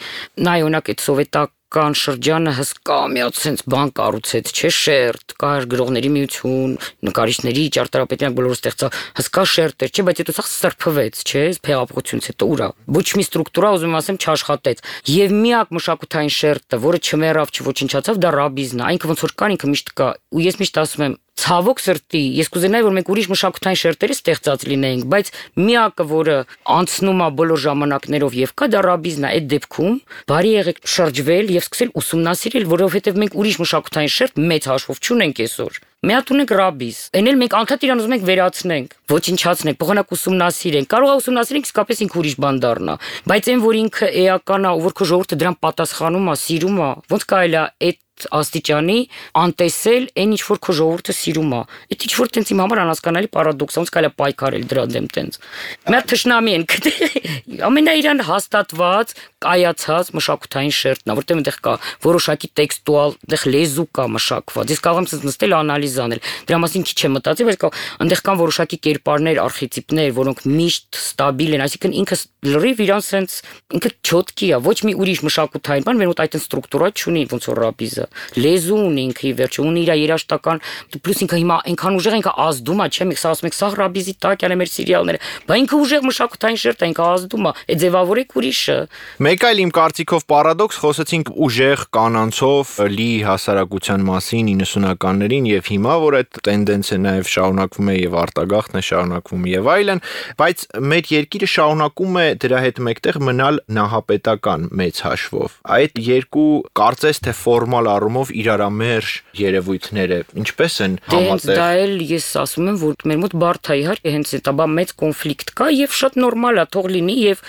նայ օրինակ այդ սովետական շրջանը հսկա միած sense բան կառուցեց, չէ, շերտ, կար գրողների միություն, նկարիչների ճարտարապետյան բոլորը ստեղծա հսկա շերտ էր, չէ, բայց հետո սա սրբվեց, չէ, փեղափոխությունից հետո ուրա։ Ոչ մի ստրուկտուրա, ուզում ասեմ, չաշխատեց։ Եվ միակ մշակութային շերտը, որը չմեռավ, չոչնչացավ, դա Ռաբիզն է, այնքը ոնց որ կար, ինքը միշտ կա։ Ու ես միշտ ասում եմ, ցավոք սրտի, ես կուզենայի, որ մենք ուրիշ մշակութային շերտերի ստեղծած լինեինք, բայց միակը, որը անցնում է բոլոր ժամանակներով եւ կա, դա Ռաբիզն է, այդ դեպքում բարի եղեք շրջվել եւ սկսել ուսումնասիրել, որովհետեւ մենք ուրիշ մշակութային շերտ մեծ հաշվով չունենք այսօր։ Մի հատ ունենք Ռաբիզ, այն էլ մենք անդադ իրան ուզում ենք վերացնենք, ոչնչացնենք, փոխանակ ուսումնասիրենք, կարող է ուսումնասիրենք, իսկապես ինքը ուրիշ բան դառնա, բայց այն որ ինքը էական է, որ քո ժողովուրդը դրան պատասխանում է, սիրում է, ոնց կարելի է այդ աստիճանի անտեսել այն ինչ որ քո ժողովուրդը սիրում է։ Այդ ինչ որ տենց իմ համար անհասկանալի պարադոքս է, ոնց կարելի է պայքարել դրա դեմ տենց։ Մի հատ թշնամի են գտել։ Ամենաիրան հաստատված, կայացած մշակութային շերտն է, որտեղ այնտեղ կա որոշակի տեքստուալ, այնտեղ լեզու կա մշակված։ Ես կարող եմ նստել անալիզ անել։ Դրա մասին քիչ եմ մտածի, բայց այնտեղ կան որոշակի կերպարներ, արխետիպներ, որոնք միշտ ստաբիլ են, այսինքն ինքը լրիվ իրան sense ինքը չոտքի է, ոչ մի ուրիշ մշակութային բան, մեր մոտ այդ ստրուկտուրա չունի, ոնց որ ռապիզը։ Լեզու ունի ինքը ի վերջո, ունի իր երաժշտական, պլյուս ինքը հիմա այնքան ուժեղ ինքը ազդում է, չէ՞, մենք սա ասում ենք, սա ռապիզի տակ է մեր սերիալները, բայց ինքը ուժեղ մշակութային շերտ է, ինքը ազդում է, է ձևավորեք ուրիշը։ Մեկ այլ իմ կարծիքով պարադոքս, խոսեցինք ուժեղ կանանցով լի հասարակության մասին իննսունականներին եւ հիմա որ այդ տենդենսը նաեւ շարունակվում է եւ արտագաղթն է շարունակվում եւ այլն, բայց մեր երկիրը շարունակում է դրա հետ մեկտեղ մնալ նահապետական մեծ հաշվով։ Այդ երկու կարծես թե ֆորմալ առումով իրարամերժ երևույթները ինչպես են համատեղ։ Դա էլ ես ասում եմ, որ մեր մոտ բարդ է իհարկե հենց դա բա մեծ կոնֆլիկտ կա եւ շատ նորմալ է թող լինի եւ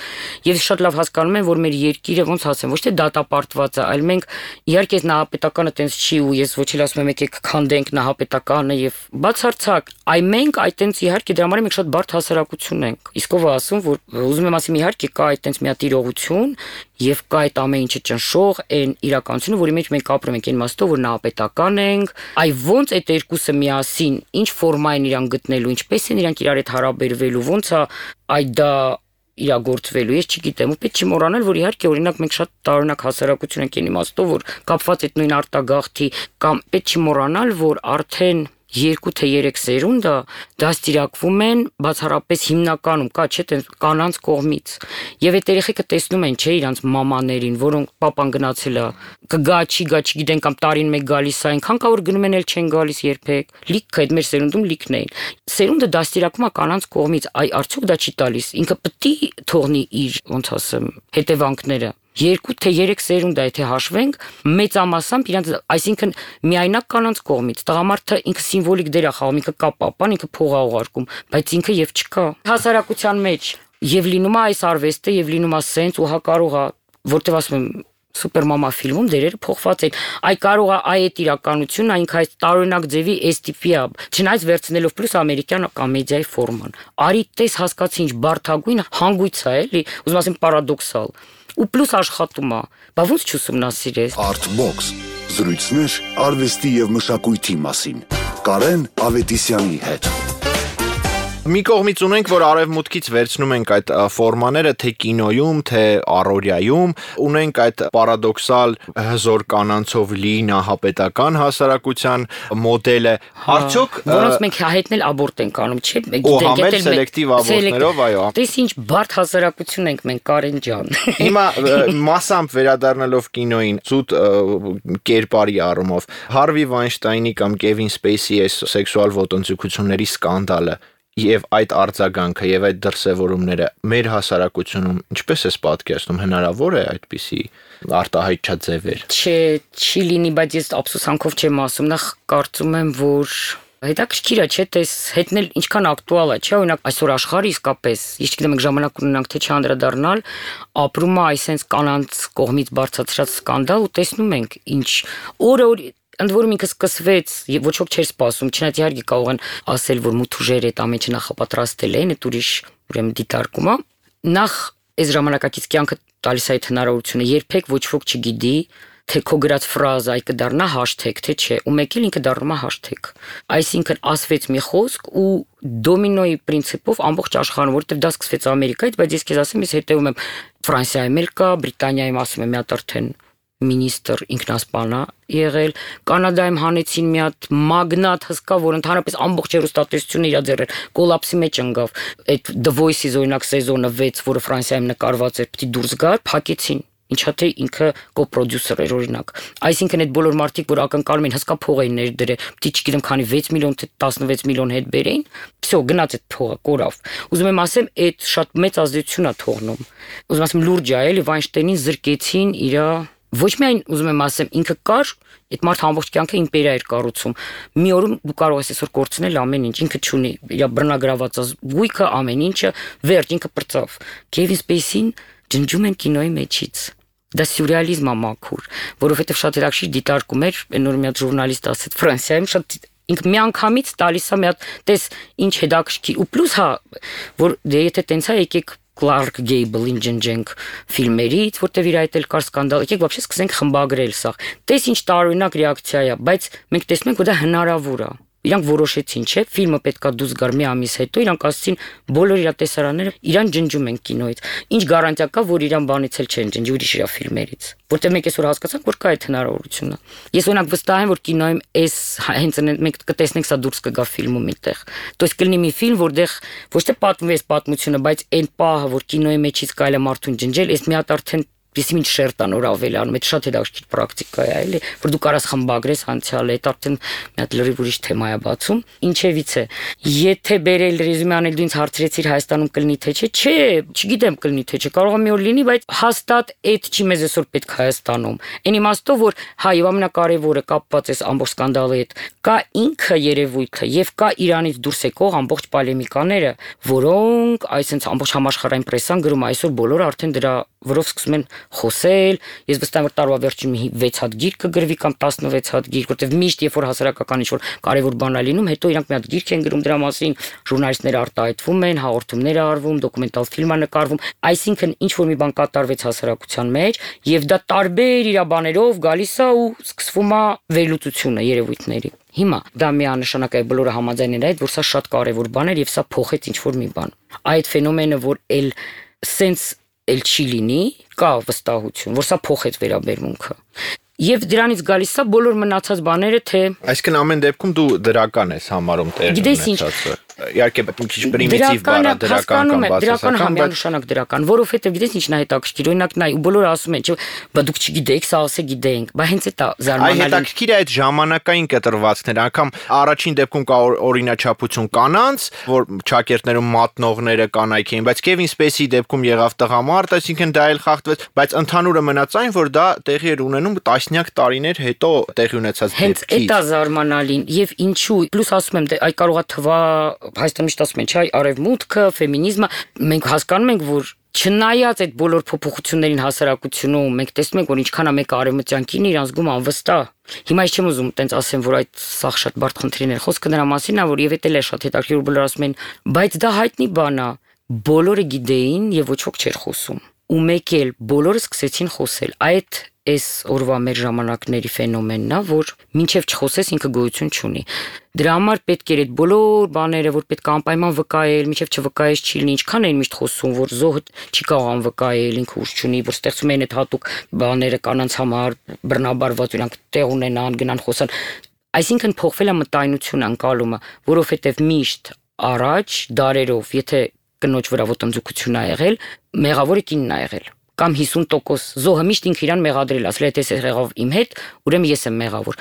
եւ շատ լավ հասկանում եմ, որ մեր երկիրը ոնց ասեմ, ոչ թե դատապարտված է, այլ մենք իհարկե նահապետականը տենց չի ու ես ոչ էլ ասում եմ եկեք քանդենք նահապետականը եւ բացարձակ, այ մենք այդ տենց իհարկե դրա համար մենք շատ բարդ հասարակություն ենք։ Իսկ ով է ասում, որ ուզում եմ ասեմ իհարկե կա այդ տենց մի հատ իրողություն եւ կա այդ ամեն ինչը ճնշող այն իրականությունը, որի մեջ մենք ապրում ենք այն իմաստով, որ նահապետական ենք, այ ոնց այդ երկուսը միասին ինչ ֆորմա են իրան գտնելու, ինչպես են իրանք իրար հետ հարաբերվելու, ոնց է այդ դա իրագործվելու, ես չգիտեմ, ու պետք չի մոռանել, որ իհարկե օրինակ մենք շատ տարօրինակ հասարակություն ենք այն իմաստով, որ կապված այդ նույն արտագաղթի կամ պետք չի մոռանալ, որ արդեն երկու թե երեք սերունդը դաստիարակվում են բացառապես հիմնականում կա չէ՞ տենց կանանց կողմից եւ այդ երեխեքը տեսնում են չէ իրանց մամաներին, որոնք papan գնացել է կգա չի գա չգիտեն կամ տարին մեկ գալիս է այնքան կա որ գնում են էլ չեն գալիս երբեք լիքը այդ մեր սերունդում լիքն էին սերունդը դաստիարակվում է կանանց կողմից այ արդյոք դա չի տալիս ինքը պետք է թողնի իր ոնց ասեմ հետևանքները երկու թե երեք սերունդ է եթե հաշվենք մեծամասամբ իրանց այսինքն միայնակ կանանց կողմից տղամարդը ինքը սիմվոլիկ դեր է խաղում ինքը կա papan ինքը փող է ուղարկում բայց ինքը եւ չկա հասարակության մեջ եւ լինում է այս արվեստը եւ լինում է սենց ու հա կարող է որտեւ ասում եմ Սուպերմամա ֆիլմում դերերը փոխված են։ Այ կարող է այ այդ իրականությունն այնք այս տարօրինակ ձևի էս տիպի է, չնայած վերցնելով պլյուս ամերիկյան կոմեդիայի ֆորման։ Արի տես հասկացի ինչ բարդագույն հանգույց է, էլի, ուզում ասեմ պարադոքսալ։ Ու պլյուս աշխատում է։ Բա ոնց չուսումնասիրես։ Artbox զրույցներ արվեստի եւ մշակույթի մասին։ Կարեն Ավետիսյանի հետ։ Մի կողմից ունենք, որ արևմուտքից վերցնում ենք այդ ֆորմաները թե կինոյում, թե առօրյայում, ունենք այդ պարադոքսալ հզոր կանանցով լի նահապետական հասարակության մոդելը, արդյոք որոնց մենք հայտնել աբորտ ենք անում, չէ՞, գիտենք էլ սելեկտիվ աբորտներով, այո։ Դες ինչ բարդ հասարակություն ենք մենք Կարեն ջան։ Հիմա մասամբ վերադառնալով կինոյին, ցույց կերպարի առումով, Հարվի Վայնշտայնի կամ Կևին Սպեյսի այս սեքսուալ ոտնձգությունների սկանդալը Եվ այդ արձագանքը եւ այդ դրսևորումները մեր հասարակությունում ինչպես է պատկերացնում հնարավոր է այդպիսի արտահայտչաձևեր Չէ, չի լինի, բայց ես ափսոսանքով չեմ ասում, նախ կարծում եմ, որ հետաքրքիր է, չէ՞, տես հետնել ինչքան ակտուալ է, չէ՞, օրինակ այսօր աշխարհը իսկապես, ես չգիտեմ, մենք ժամանակ ունենանք թե չանդրադառնալ, ապրում է այսպես կանանց կողմից բարձրացած սկանդալ ու տեսնում ենք ինչ օրը Ընդ որում ինքը սկսվեց եւ ոչ ոք չէր սպասում, չնայած իհարկե կարող են ասել, որ մութուժեր այդ ամենը նախապատրաստել են, այդ ուրիշ ուրեմն դիտարկում է։ Նախ այս ժամանակակից կյանքը տալիս է այդ հնարավորությունը, երբեք ոչ ոք չգիտի, թե քո գրած ֆրազը այ կդառնա հաշթեգ, թե չէ, ու մեկ էլ ինքը դառնում է հաշթեգ։ Այսինքն ասվեց մի խոսք ու դոմինոյի պրինցիպով ամբողջ աշխարհում, որովհետեւ դա սկսվեց Ամերիկայից, բայց ես քեզ ասեմ, ես հետևում եմ Ֆրանսիայում էլ կա, Բրիտանիայում ասում եմ մի հատ արդեն Մինիստր ինքնասպան է եղել, Կանադայում հանեցին մի հատ մագնատ հսկա, որ ընդհանրապես ամբողջ հեռուստատեսությունը իր ձեռեր կոլապսի մեջ ընկավ։ Այդ The Voice-ի օրինակ սեզոնը վեց, որը Ֆրանսիայում նկարված էր, պիտի դուրս գար, փակեցին։ Ինչա թե ինքը կոպրոդյուսեր էր օրինակ։ Այսինքն այդ բոլոր մարդիկ, որ ակնկալում են հսկա փող էին ներդրել, պիտի չգիտեմ քանի վեց միլիոն թե տասնվեց միլիոն հետ բերեին, всё, գնաց այդ փողը, կորավ։ Ուզում եմ ասեմ, այդ շատ մեծ ազդեցություն է թողնում։ Ուզում ասեմ լուրջ է, էլի Վայնշտեյնին զրկեցին իր Ոչ միայն ուզում եմ ասեմ, ինքը կար, այդ մարդը ամբողջ կյանքը իմպերիա էր կառուցում։ Մի օրում դու կարող ես այսօր կորցնել ամեն ինչ, ինքը չունի, իր բռնագրաված գույքը, ամեն ինչը, վերջ ինքը պրծավ։ Կևին Սպեյսին ջնջում են կինոյի մեջից։ դա սյուրռեալիզմ է մաքուր, որովհետև շատ հետաքրքիր դիտարկում էր, նոր մի հատ ժուրնալիստ ասեց Ֆրանսիայում շատ ինքը միանգամից տալիս է մի հատ տես ինչ հետաքրքիր ու պլյուս հա որ դե եթե տենց է եկեք Clark Gable-ին ջնջենք ֆիլմերից, որտեվ իր այդ էլ կար սկանդալ, եկեք вообще սկսենք խմբագրել սա։ Տես ինչ տարօրինակ ռեակցիա է, բայց մենք տեսնում ենք, որ դա հնարավոր է։ Իրանք որոշեցին, չէ, ֆիլմը պետքա դուրս գար մի ամիս հետո, իրանք ասացին բոլոր իր տեսարանները իրան ջնջում են կինոից։ Ինչ գարանտիա կա, որ իրան բանից էլ չեն ջնջի ուրիշ իր ֆիլմերից։ Որտեվ մենք այսօր հասկացանք, որ կա այդ հնարավորությունը։ Ես օրինակ վստահ եմ, որ կինոյում էս հենց մենք կտեսնենք սա դուրս կգա ֆիլմում միտեղ։ То есть կլինի մի ֆիլմ, որտեղ ոչ թե պատմվի այս պատմությունը, բայց այն պահը, որ կինոյի մեջից կարելի է մարդուն ջնջել, այս մի հատ արդեն Իսկ ինչ շերտան որ ավելի անում, այդ շատ հետաքրքիր պրակտիկա է, էլի, որ դու կարաս խմբագրես անցյալը, այդ արդեն մի հատ լրիվ ուրիշ թեմա է բացում։ Ինչևից է, եթե բերել ռեզյումե անել դու ինձ հարցրեցիր Հայաստանում կլինի թե չէ, չէ, չգիտեմ կլինի թե չէ, կարող է մի օր լինի, բայց հաստատ այդ չի մեզ այսօր պետք Հայաստանում։ Այն իմաստով որ հայ եւ ամենակարևորը կապված է ամբողջ սկանդալի հետ, կա ինքը երևույթը եւ կա Իրանից դուրս եկող ամբողջ պոլեմիկաները, որոնք այսպես ամբողջ համաշխարհային պրեսան գրում այսօր բոլորը արդեն դրա որով սկսում են խոսել, ես վստահ եմ որ տարվա վերջին մի վեց հատ գիրք կգրվի կամ տասնվեց հատ գիրք, որտեվ միշտ երբ որ հասարակական ինչ-որ կարևոր բան է լինում, հետո իրանք մի հատ գիրք են գրում դրա մասին, ժուրնալիստները արտահայտվում են, հաղորդումներ է արվում, դոկումենտալ ֆիլմ է նկարվում, այսինքն ինչ-որ մի բան կատարվեց հասարակության մեջ, եւ դա տարբեր իրաբաներով գալիս է ու սկսվում է վերլուծությունը երևույթների։ Հիմա դա միանշանակ է բոլորը համաձայն են այդ, որ սա շատ կարևոր բան էր եւ սա փոխեց ինչ-որ մի բան։ Այդ ֆենոմենը, որ էլ սենց էլ չի լինի, կա վստահություն, որ սա փոխեց վերաբերմունքը։ Եվ դրանից գալիս է բոլոր մնացած բաները, թե այսինքն ամեն դեպքում դու դրական ես համարում տեղ ունեցածը։ Իհարկե մի քիչ պրիմիտիվ բառ է դրական կամ բացասական, բայց միանշանակ դրական, որովհետև գիտես ինչն է հետաքրքիր, օրինակ նայ ու բոլորը ասում են, չէ, բա դուք չգիտեք, սա ասե գիտենք, բայց հենց այդ է զարմանալի։ Այ հետաքրքիր է այդ ժամանակային կտրվածքները, անգամ առաջին դեպքում կա օրինաչափություն կանանց, որ ճակերտներում մատնողները կանայք էին, բայց Kevin Spacey-ի դեպքում եղավ տղամարդ, այսինքն դա էլ խախտվեց, բայց ընդհանուրը մնաց այն, որ դա տեղի էր ունենում տասնյակ տարիներ հետո տեղի ունեցած դեպքից։ Հենց այդ է զարմանալին, եւ ինչու, պլյուս ասում եմ, այ կարող է թվա Հայաստանում միշտ ասում են, չէ, արևմուտքը, ֆեմինիզմը, մենք հասկանում ենք, որ չնայած այդ բոլոր փոփոխություններին հասարակությունում, մենք տեսնում ենք, որ ինչքան է մեկը արևմտյան կինը իրան զգում անվստահ։ Հիմա ես չեմ ուզում տենց ասեմ, որ այդ սաղ շատ բարդ խնդիրներ, խոսքը նրա մասին է, որ եւ էդ էլ է շատ հետաքրքիր, որ բոլորը ասում են, բայց դա հայտնի բան է, բոլորը գիտեին եւ ոչ ոք չէր խոսում։ Ու մեկ էլ բոլորը սկսեցին խոսել։ Այդ այս օրվա մեր ժամանակների ֆենոմենն է, որ մինչև չխոսես ինքը գոյություն չունի։ Դրա համար պետք էր այդ բոլոր բաները, որ պետք է անպայման վկայել, մինչև չվկայես չի լինի, ինչքան էին միշտ խոսում, որ զոհը չի կարող անվկայել, ինքը ուժ չունի, որ ստեղծում են այդ հատուկ բաները կանանց համար բռնաբարված, իրանք տեղ ունենան, գնան խոսան։ Այսինքն փոխվել է մտայնությունը, անկալումը, որովհետև միշտ առաջ դարերով, եթե կնոջ վրա ոտնձգություն է եղել, մեղավորը կինն է եղել։ Կամ հիսուն տոկոս զոհը միշտ ինքը իրան մեղադրել, ասել է թե ես եղավ իմ հետ, ուրեմն ես եմ մեղավոր։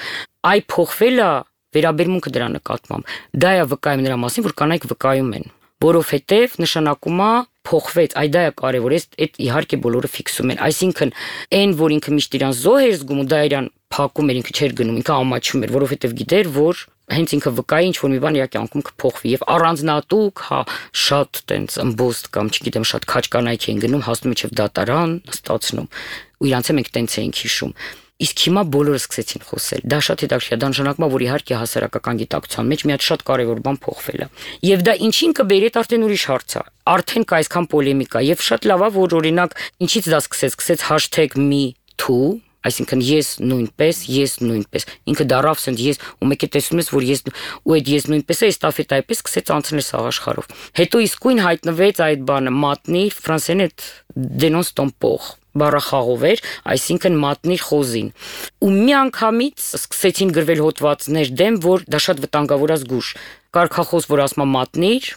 Այ փոխվելը վերաբերմունքը դրա նկատմամբ։ Դա է վկայում նրա մասին, որ կանայք վկայում են, որովհետև նշանակում է փոխվեց, այ դա է կարևոր, այդ իհարկե բոլորը ֆիքսում են։ Այսինքն այն, որ ինքը միշտ իրան զոհ էր զգում ու դա իրան փակում էր, ինքը չէր գնում, ինքը ամաչում էր, որովհետև գիտեր, որ հենց ինքը վկայի ինչ որ մի բան իր կյանքում կփոխվի եւ առանձնատուկ, հա, շատ տենց ըմբոստ կամ չգիտեմ, շատ քաջ կանայք էին գնում, հասնում իջև դատարան, ստացնում։ Ու իրանց է մենք տենց էինք հիշում։ Իսկ հիմա բոլորը սկսեցին խոսել։ Դա շատ հետաքրքիր է, դա նշանակում է, որ իհարկե հասարակական գիտակցության մեջ մի հատ շատ կարևոր բան փոխվել է։ Եվ դա ինչին կբերի, այդ արդեն ուրիշ հարց է։ Արդեն կա այսքան պոլեմիկա եւ շատ լավ է, որ օրինակ ինչից դա սկսեց, սկսեց hashtag me too, այսինքն ես նույնպես, ես նույնպես։ Ինքը դարավ սենց ես ու մեկը տեսնում ես, որ ես ու այդ ես նույնպես է էստաֆետայպես սկսեց անցնել սաղ աշխարհով։ Հետո իսկույն հայտնվեց այդ բանը մատնիր, ֆրանսերեն այդ dénonce ton port բառախաղով էր, այսինքն մատնիր խոզին։ Ու մի անգամից սկսեցին գրվել հոդվածներ դեմ, որ դա շատ վտանգավոր է զգուշ։ Կարգախոս, որ ասում է մատնիր,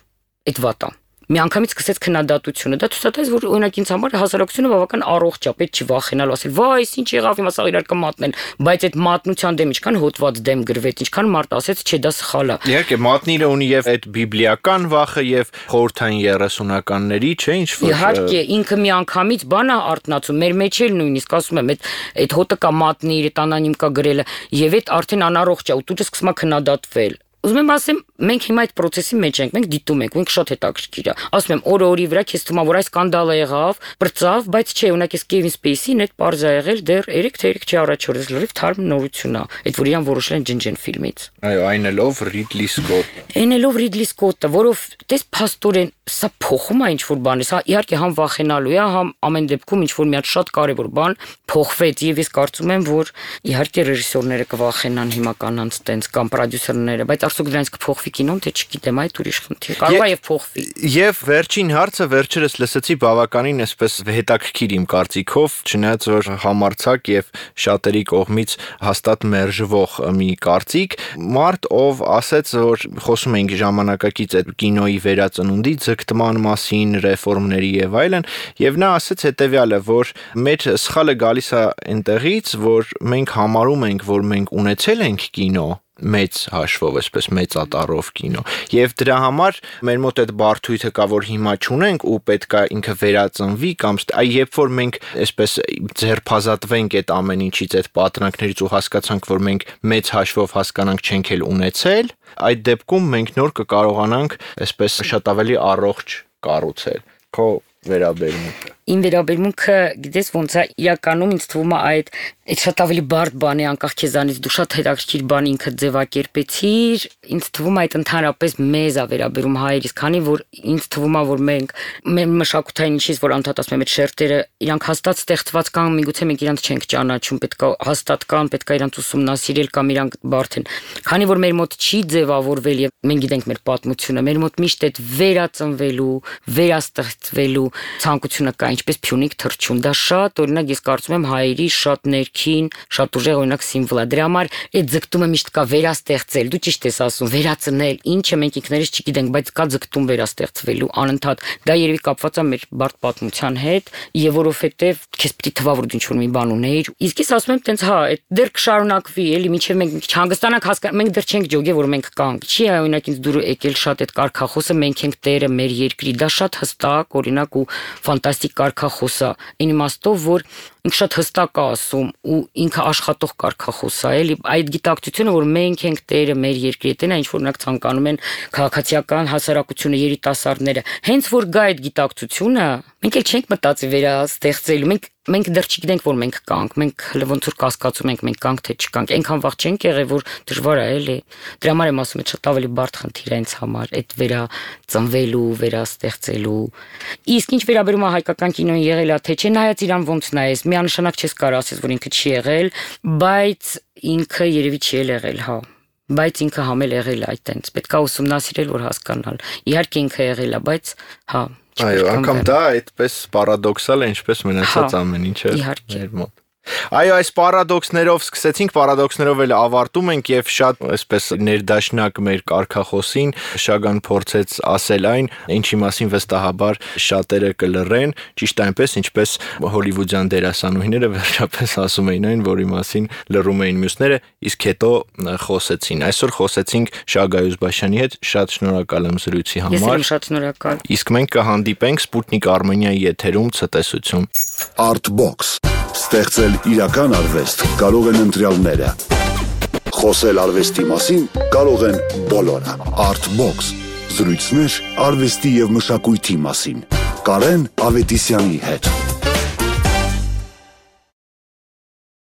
այդ վատ է։ Մի անգամից սկսեց քննադատությունը։ Դա ցույց որ օրինակ ինձ համար հասարակությունը բավական առողջ է, պետք չի վախենալ, ասել, «Վայ, ինչ եղավ, հիմա սա իրար կմատնեն», բայց այդ մատնության դեմ ինչքան հոդված դեմ գրվեց, ինչքան մարդ ասեց, չէ, դա սխալ է։ Իհարկե, մատնիրը ունի եւ այդ բիբլիական վախը եւ խորհրդային երեսունականների, չէ, ինչ որ։ Իհարկե, ինքը մի անգամից բան է արտնացում, մեր մեջ էլ նույնիսկ ասում եմ, այդ այդ հոտը կա մատնիր, այդ անանիմ կա գրելը, եւ այդ արդեն անառողջ է, ու դու սկսում ես քննադատվել։ Ուզում եմ ասեմ, մենք հիմա այդ process-ի մեջ ենք, մենք դիտում ենք, մենք շատ հետաքրքիր է։ Ասում եմ, օրը օրի վրա քեզ թվում է, որ այս սկանդալը եղավ, բրծավ, բայց չէ, ունակ էս Kevin Spacey-ին այդ parz է եղել դեռ երեք թե երեք չի առաջ օրս լրիվ թարմ նորություն է։ Այդ որ իրան որոշել են ջնջեն ֆիլմից։ Այո, այն ելով Ridley Scott։ Այնելով Ridley Scott-ը, որով տես փաստորեն սա փոխում է ինչ-որ բան, սա իհարկե համ վախենալու է, համ ամեն դեպքում ինչ-որ մի հատ շատ կարևոր բան փոխվեց եւ ես կարծում եմ, որ իհարկե ռեժիսորները կվախենան հիմա կանանց տենց կամ պրոդյուսերները, բայց արդյոք դրանց կփոխվի կինոն, թե չգիտեմ, այդ ուրիշ խնդիր։ Կարող է եւ փոխվի։ Եվ վերջին հարցը վերջերս լսեցի բավականին այսպես հետաքրքիր իմ կարծիքով, չնայած որ համարցակ եւ շատերի կողմից հաստատ մերժվող մի կարծիք, մարդ ով ասեց, որ խոսում ենք ժամանակակից այդ կինոյի վերածնունդի ձգտման մասին, ռեֆորմների եւ այլն, եւ նա ասեց հետեւյալը, որ մեր սխալը գալիս է այնտեղից, որ մենք համարում ենք, որ մենք ունեցել ենք կինո մեծ հաշվով, այսպես մեծ ատառով կինո։ Եվ դրա համար մեր մոտ այդ բարդույթը կա, որ հիմա չունենք ու պետքա ինքը վերածնվի կամ այ երբ որ մենք այսպես ձերբազատվենք այդ ամեն ինչից, այդ պատրանքներից ու հասկացանք, որ մենք մեծ հաշվով հասկանանք չենք էլ ունեցել, այդ դեպքում մենք նոր կկարողանանք այսպես շատ ավելի առողջ կառուցել։ Քո վերաբերմունքը։ Իմ վերաբերմունքը, գիտես ոնց է, իրականում ինձ թվում է այդ այդ շատ ավելի բարդ բան է, անկախ քեզանից դու շատ հետաքրքիր բան ինքդ ձևակերպեցիր, ինձ թվում է այդ ընդհանրապես մեզ է վերաբերում հայերիս, քանի որ ինձ թվում է, որ մենք մեր մշակութային ինչից որ անդադ ասում եմ այդ շերտերը, իրանք հաստատ ստեղծված կան, միգուցե մենք իրանք չենք ճանաչում, պետքա հաստատ կան, պետքա իրանք ուսումնասիրել կամ իրանք բարդ են։ Քանի որ մեր մոտ չի ձևավորվել եւ մենք գիտենք մեր պատմությունը, մեր մոտ միշտ այդ վերածնվելու, վերաստեղծվելու ցանկությունը կա, ինչպես Փյունիկ թռչուն, դա շատ օրինակ ես կարծում եմ հայերի շատ ներքին, շատ ուժեղ օրինակ սիմվոլ է։ Դրա համար այդ ձգտումը միշտ կա վերաստեղծել, դու ճիշտ ես ասում, վերածնել, ինչը մենք ինքներս չգիտենք, բայց կա ձգտում վերաստեղծվելու անընդհատ։ Դա երևի կապված է մեր բարդ պատմության հետ, եւ որովհետեւ քեզ պիտի թվա որ դու ինչ-որ մի բան ունեիր։ Իսկ ես ասում եմ տենց հա, այդ դեռ կշարունակվի, էլի մինչեւ մենք չհանգստանանք հասկանանք, մենք դեռ չենք ջոգե, որ մենք կանք։ Չի օրինակ ինձ դուր եկել շատ այդ կարգախոսը մենք ենք տերը մեր երկրի, դա շատ հստակ օրինակ ու ֆանտաստիկ կարգախոս է, այն իմաստով, որ ինքը շատ հստակ է ասում ու ինքը աշխատող կարգախոս է, էլի այդ գիտակցությունը, որ մենք ենք տերը մեր երկրի, դա ինչ որ օրինակ ցանկանում են քաղաքացիական հասարակությունը, երիտասարդները, հենց որ գա այդ գիտակցությունը, մենք էլ չենք մտածի վերաստեղծելու, մենք մենք դեռ չգիտենք, որ մենք կանք, մենք հələ ոնց որ կասկածում ենք, մենք կանք թե չկանք, այնքան վաղ չենք եղել, որ դժվար է, էլի։ Դրա համար եմ ասում, շատ ավելի բարդ խնդիր է ինձ համար, այդ վերածնվելու, վերաստեղծելու։ Իսկ ինչ վերաբերում է հայկական կինոին եղել է, թե չէ, նայած իրան ոնց նայես, միանշանակ չես կարող ասես, որ ինքը չի եղել, բայց ինքը երևի չի եղել, հա։ Բայց ինքը համել եղել է այդտենց, պետք է ուսումնասիրել, որ հասկանալ։ Իհարկե ինքը եղել է, բայց հա Այո, անգամ դա այդպես պարադոքսալ է, ինչպես մնացած ամեն ինչը մեր մոտ։ Այո, այս պարադոքսներով սկսեցինք, պարադոքսներով էլ ավարտում ենք եւ շատ այսպես ներդաշնակ մեր կարգախոսին Շագան փորձեց ասել այն, ինչի մասին վստահաբար շատերը կլռեն, ճիշտ այնպես, ինչպես հոլիվուդյան դերասանուհիները վերջապես ասում էին այն, որի մասին լռում էին մյուսները, իսկ հետո խոսեցին։ Այսօր խոսեցինք Շագա Յուզբաշյանի հետ, շատ շնորհակալ եմ զրույցի համար։ Ես եմ շատ շնորհակալ։ Իսկ մենք կհանդիպենք Սպուտնիկ Արմենիայի եթերում ցտեսություն։ Artbox ստեղծել իրական արվեստ կարող են ընտրյալները։ Խոսել արվեստի մասին կարող են բոլորը։ Artbox զրույցներ արվեստի եւ մշակույթի մասին։ Կարեն Ավետիսյանի հետ։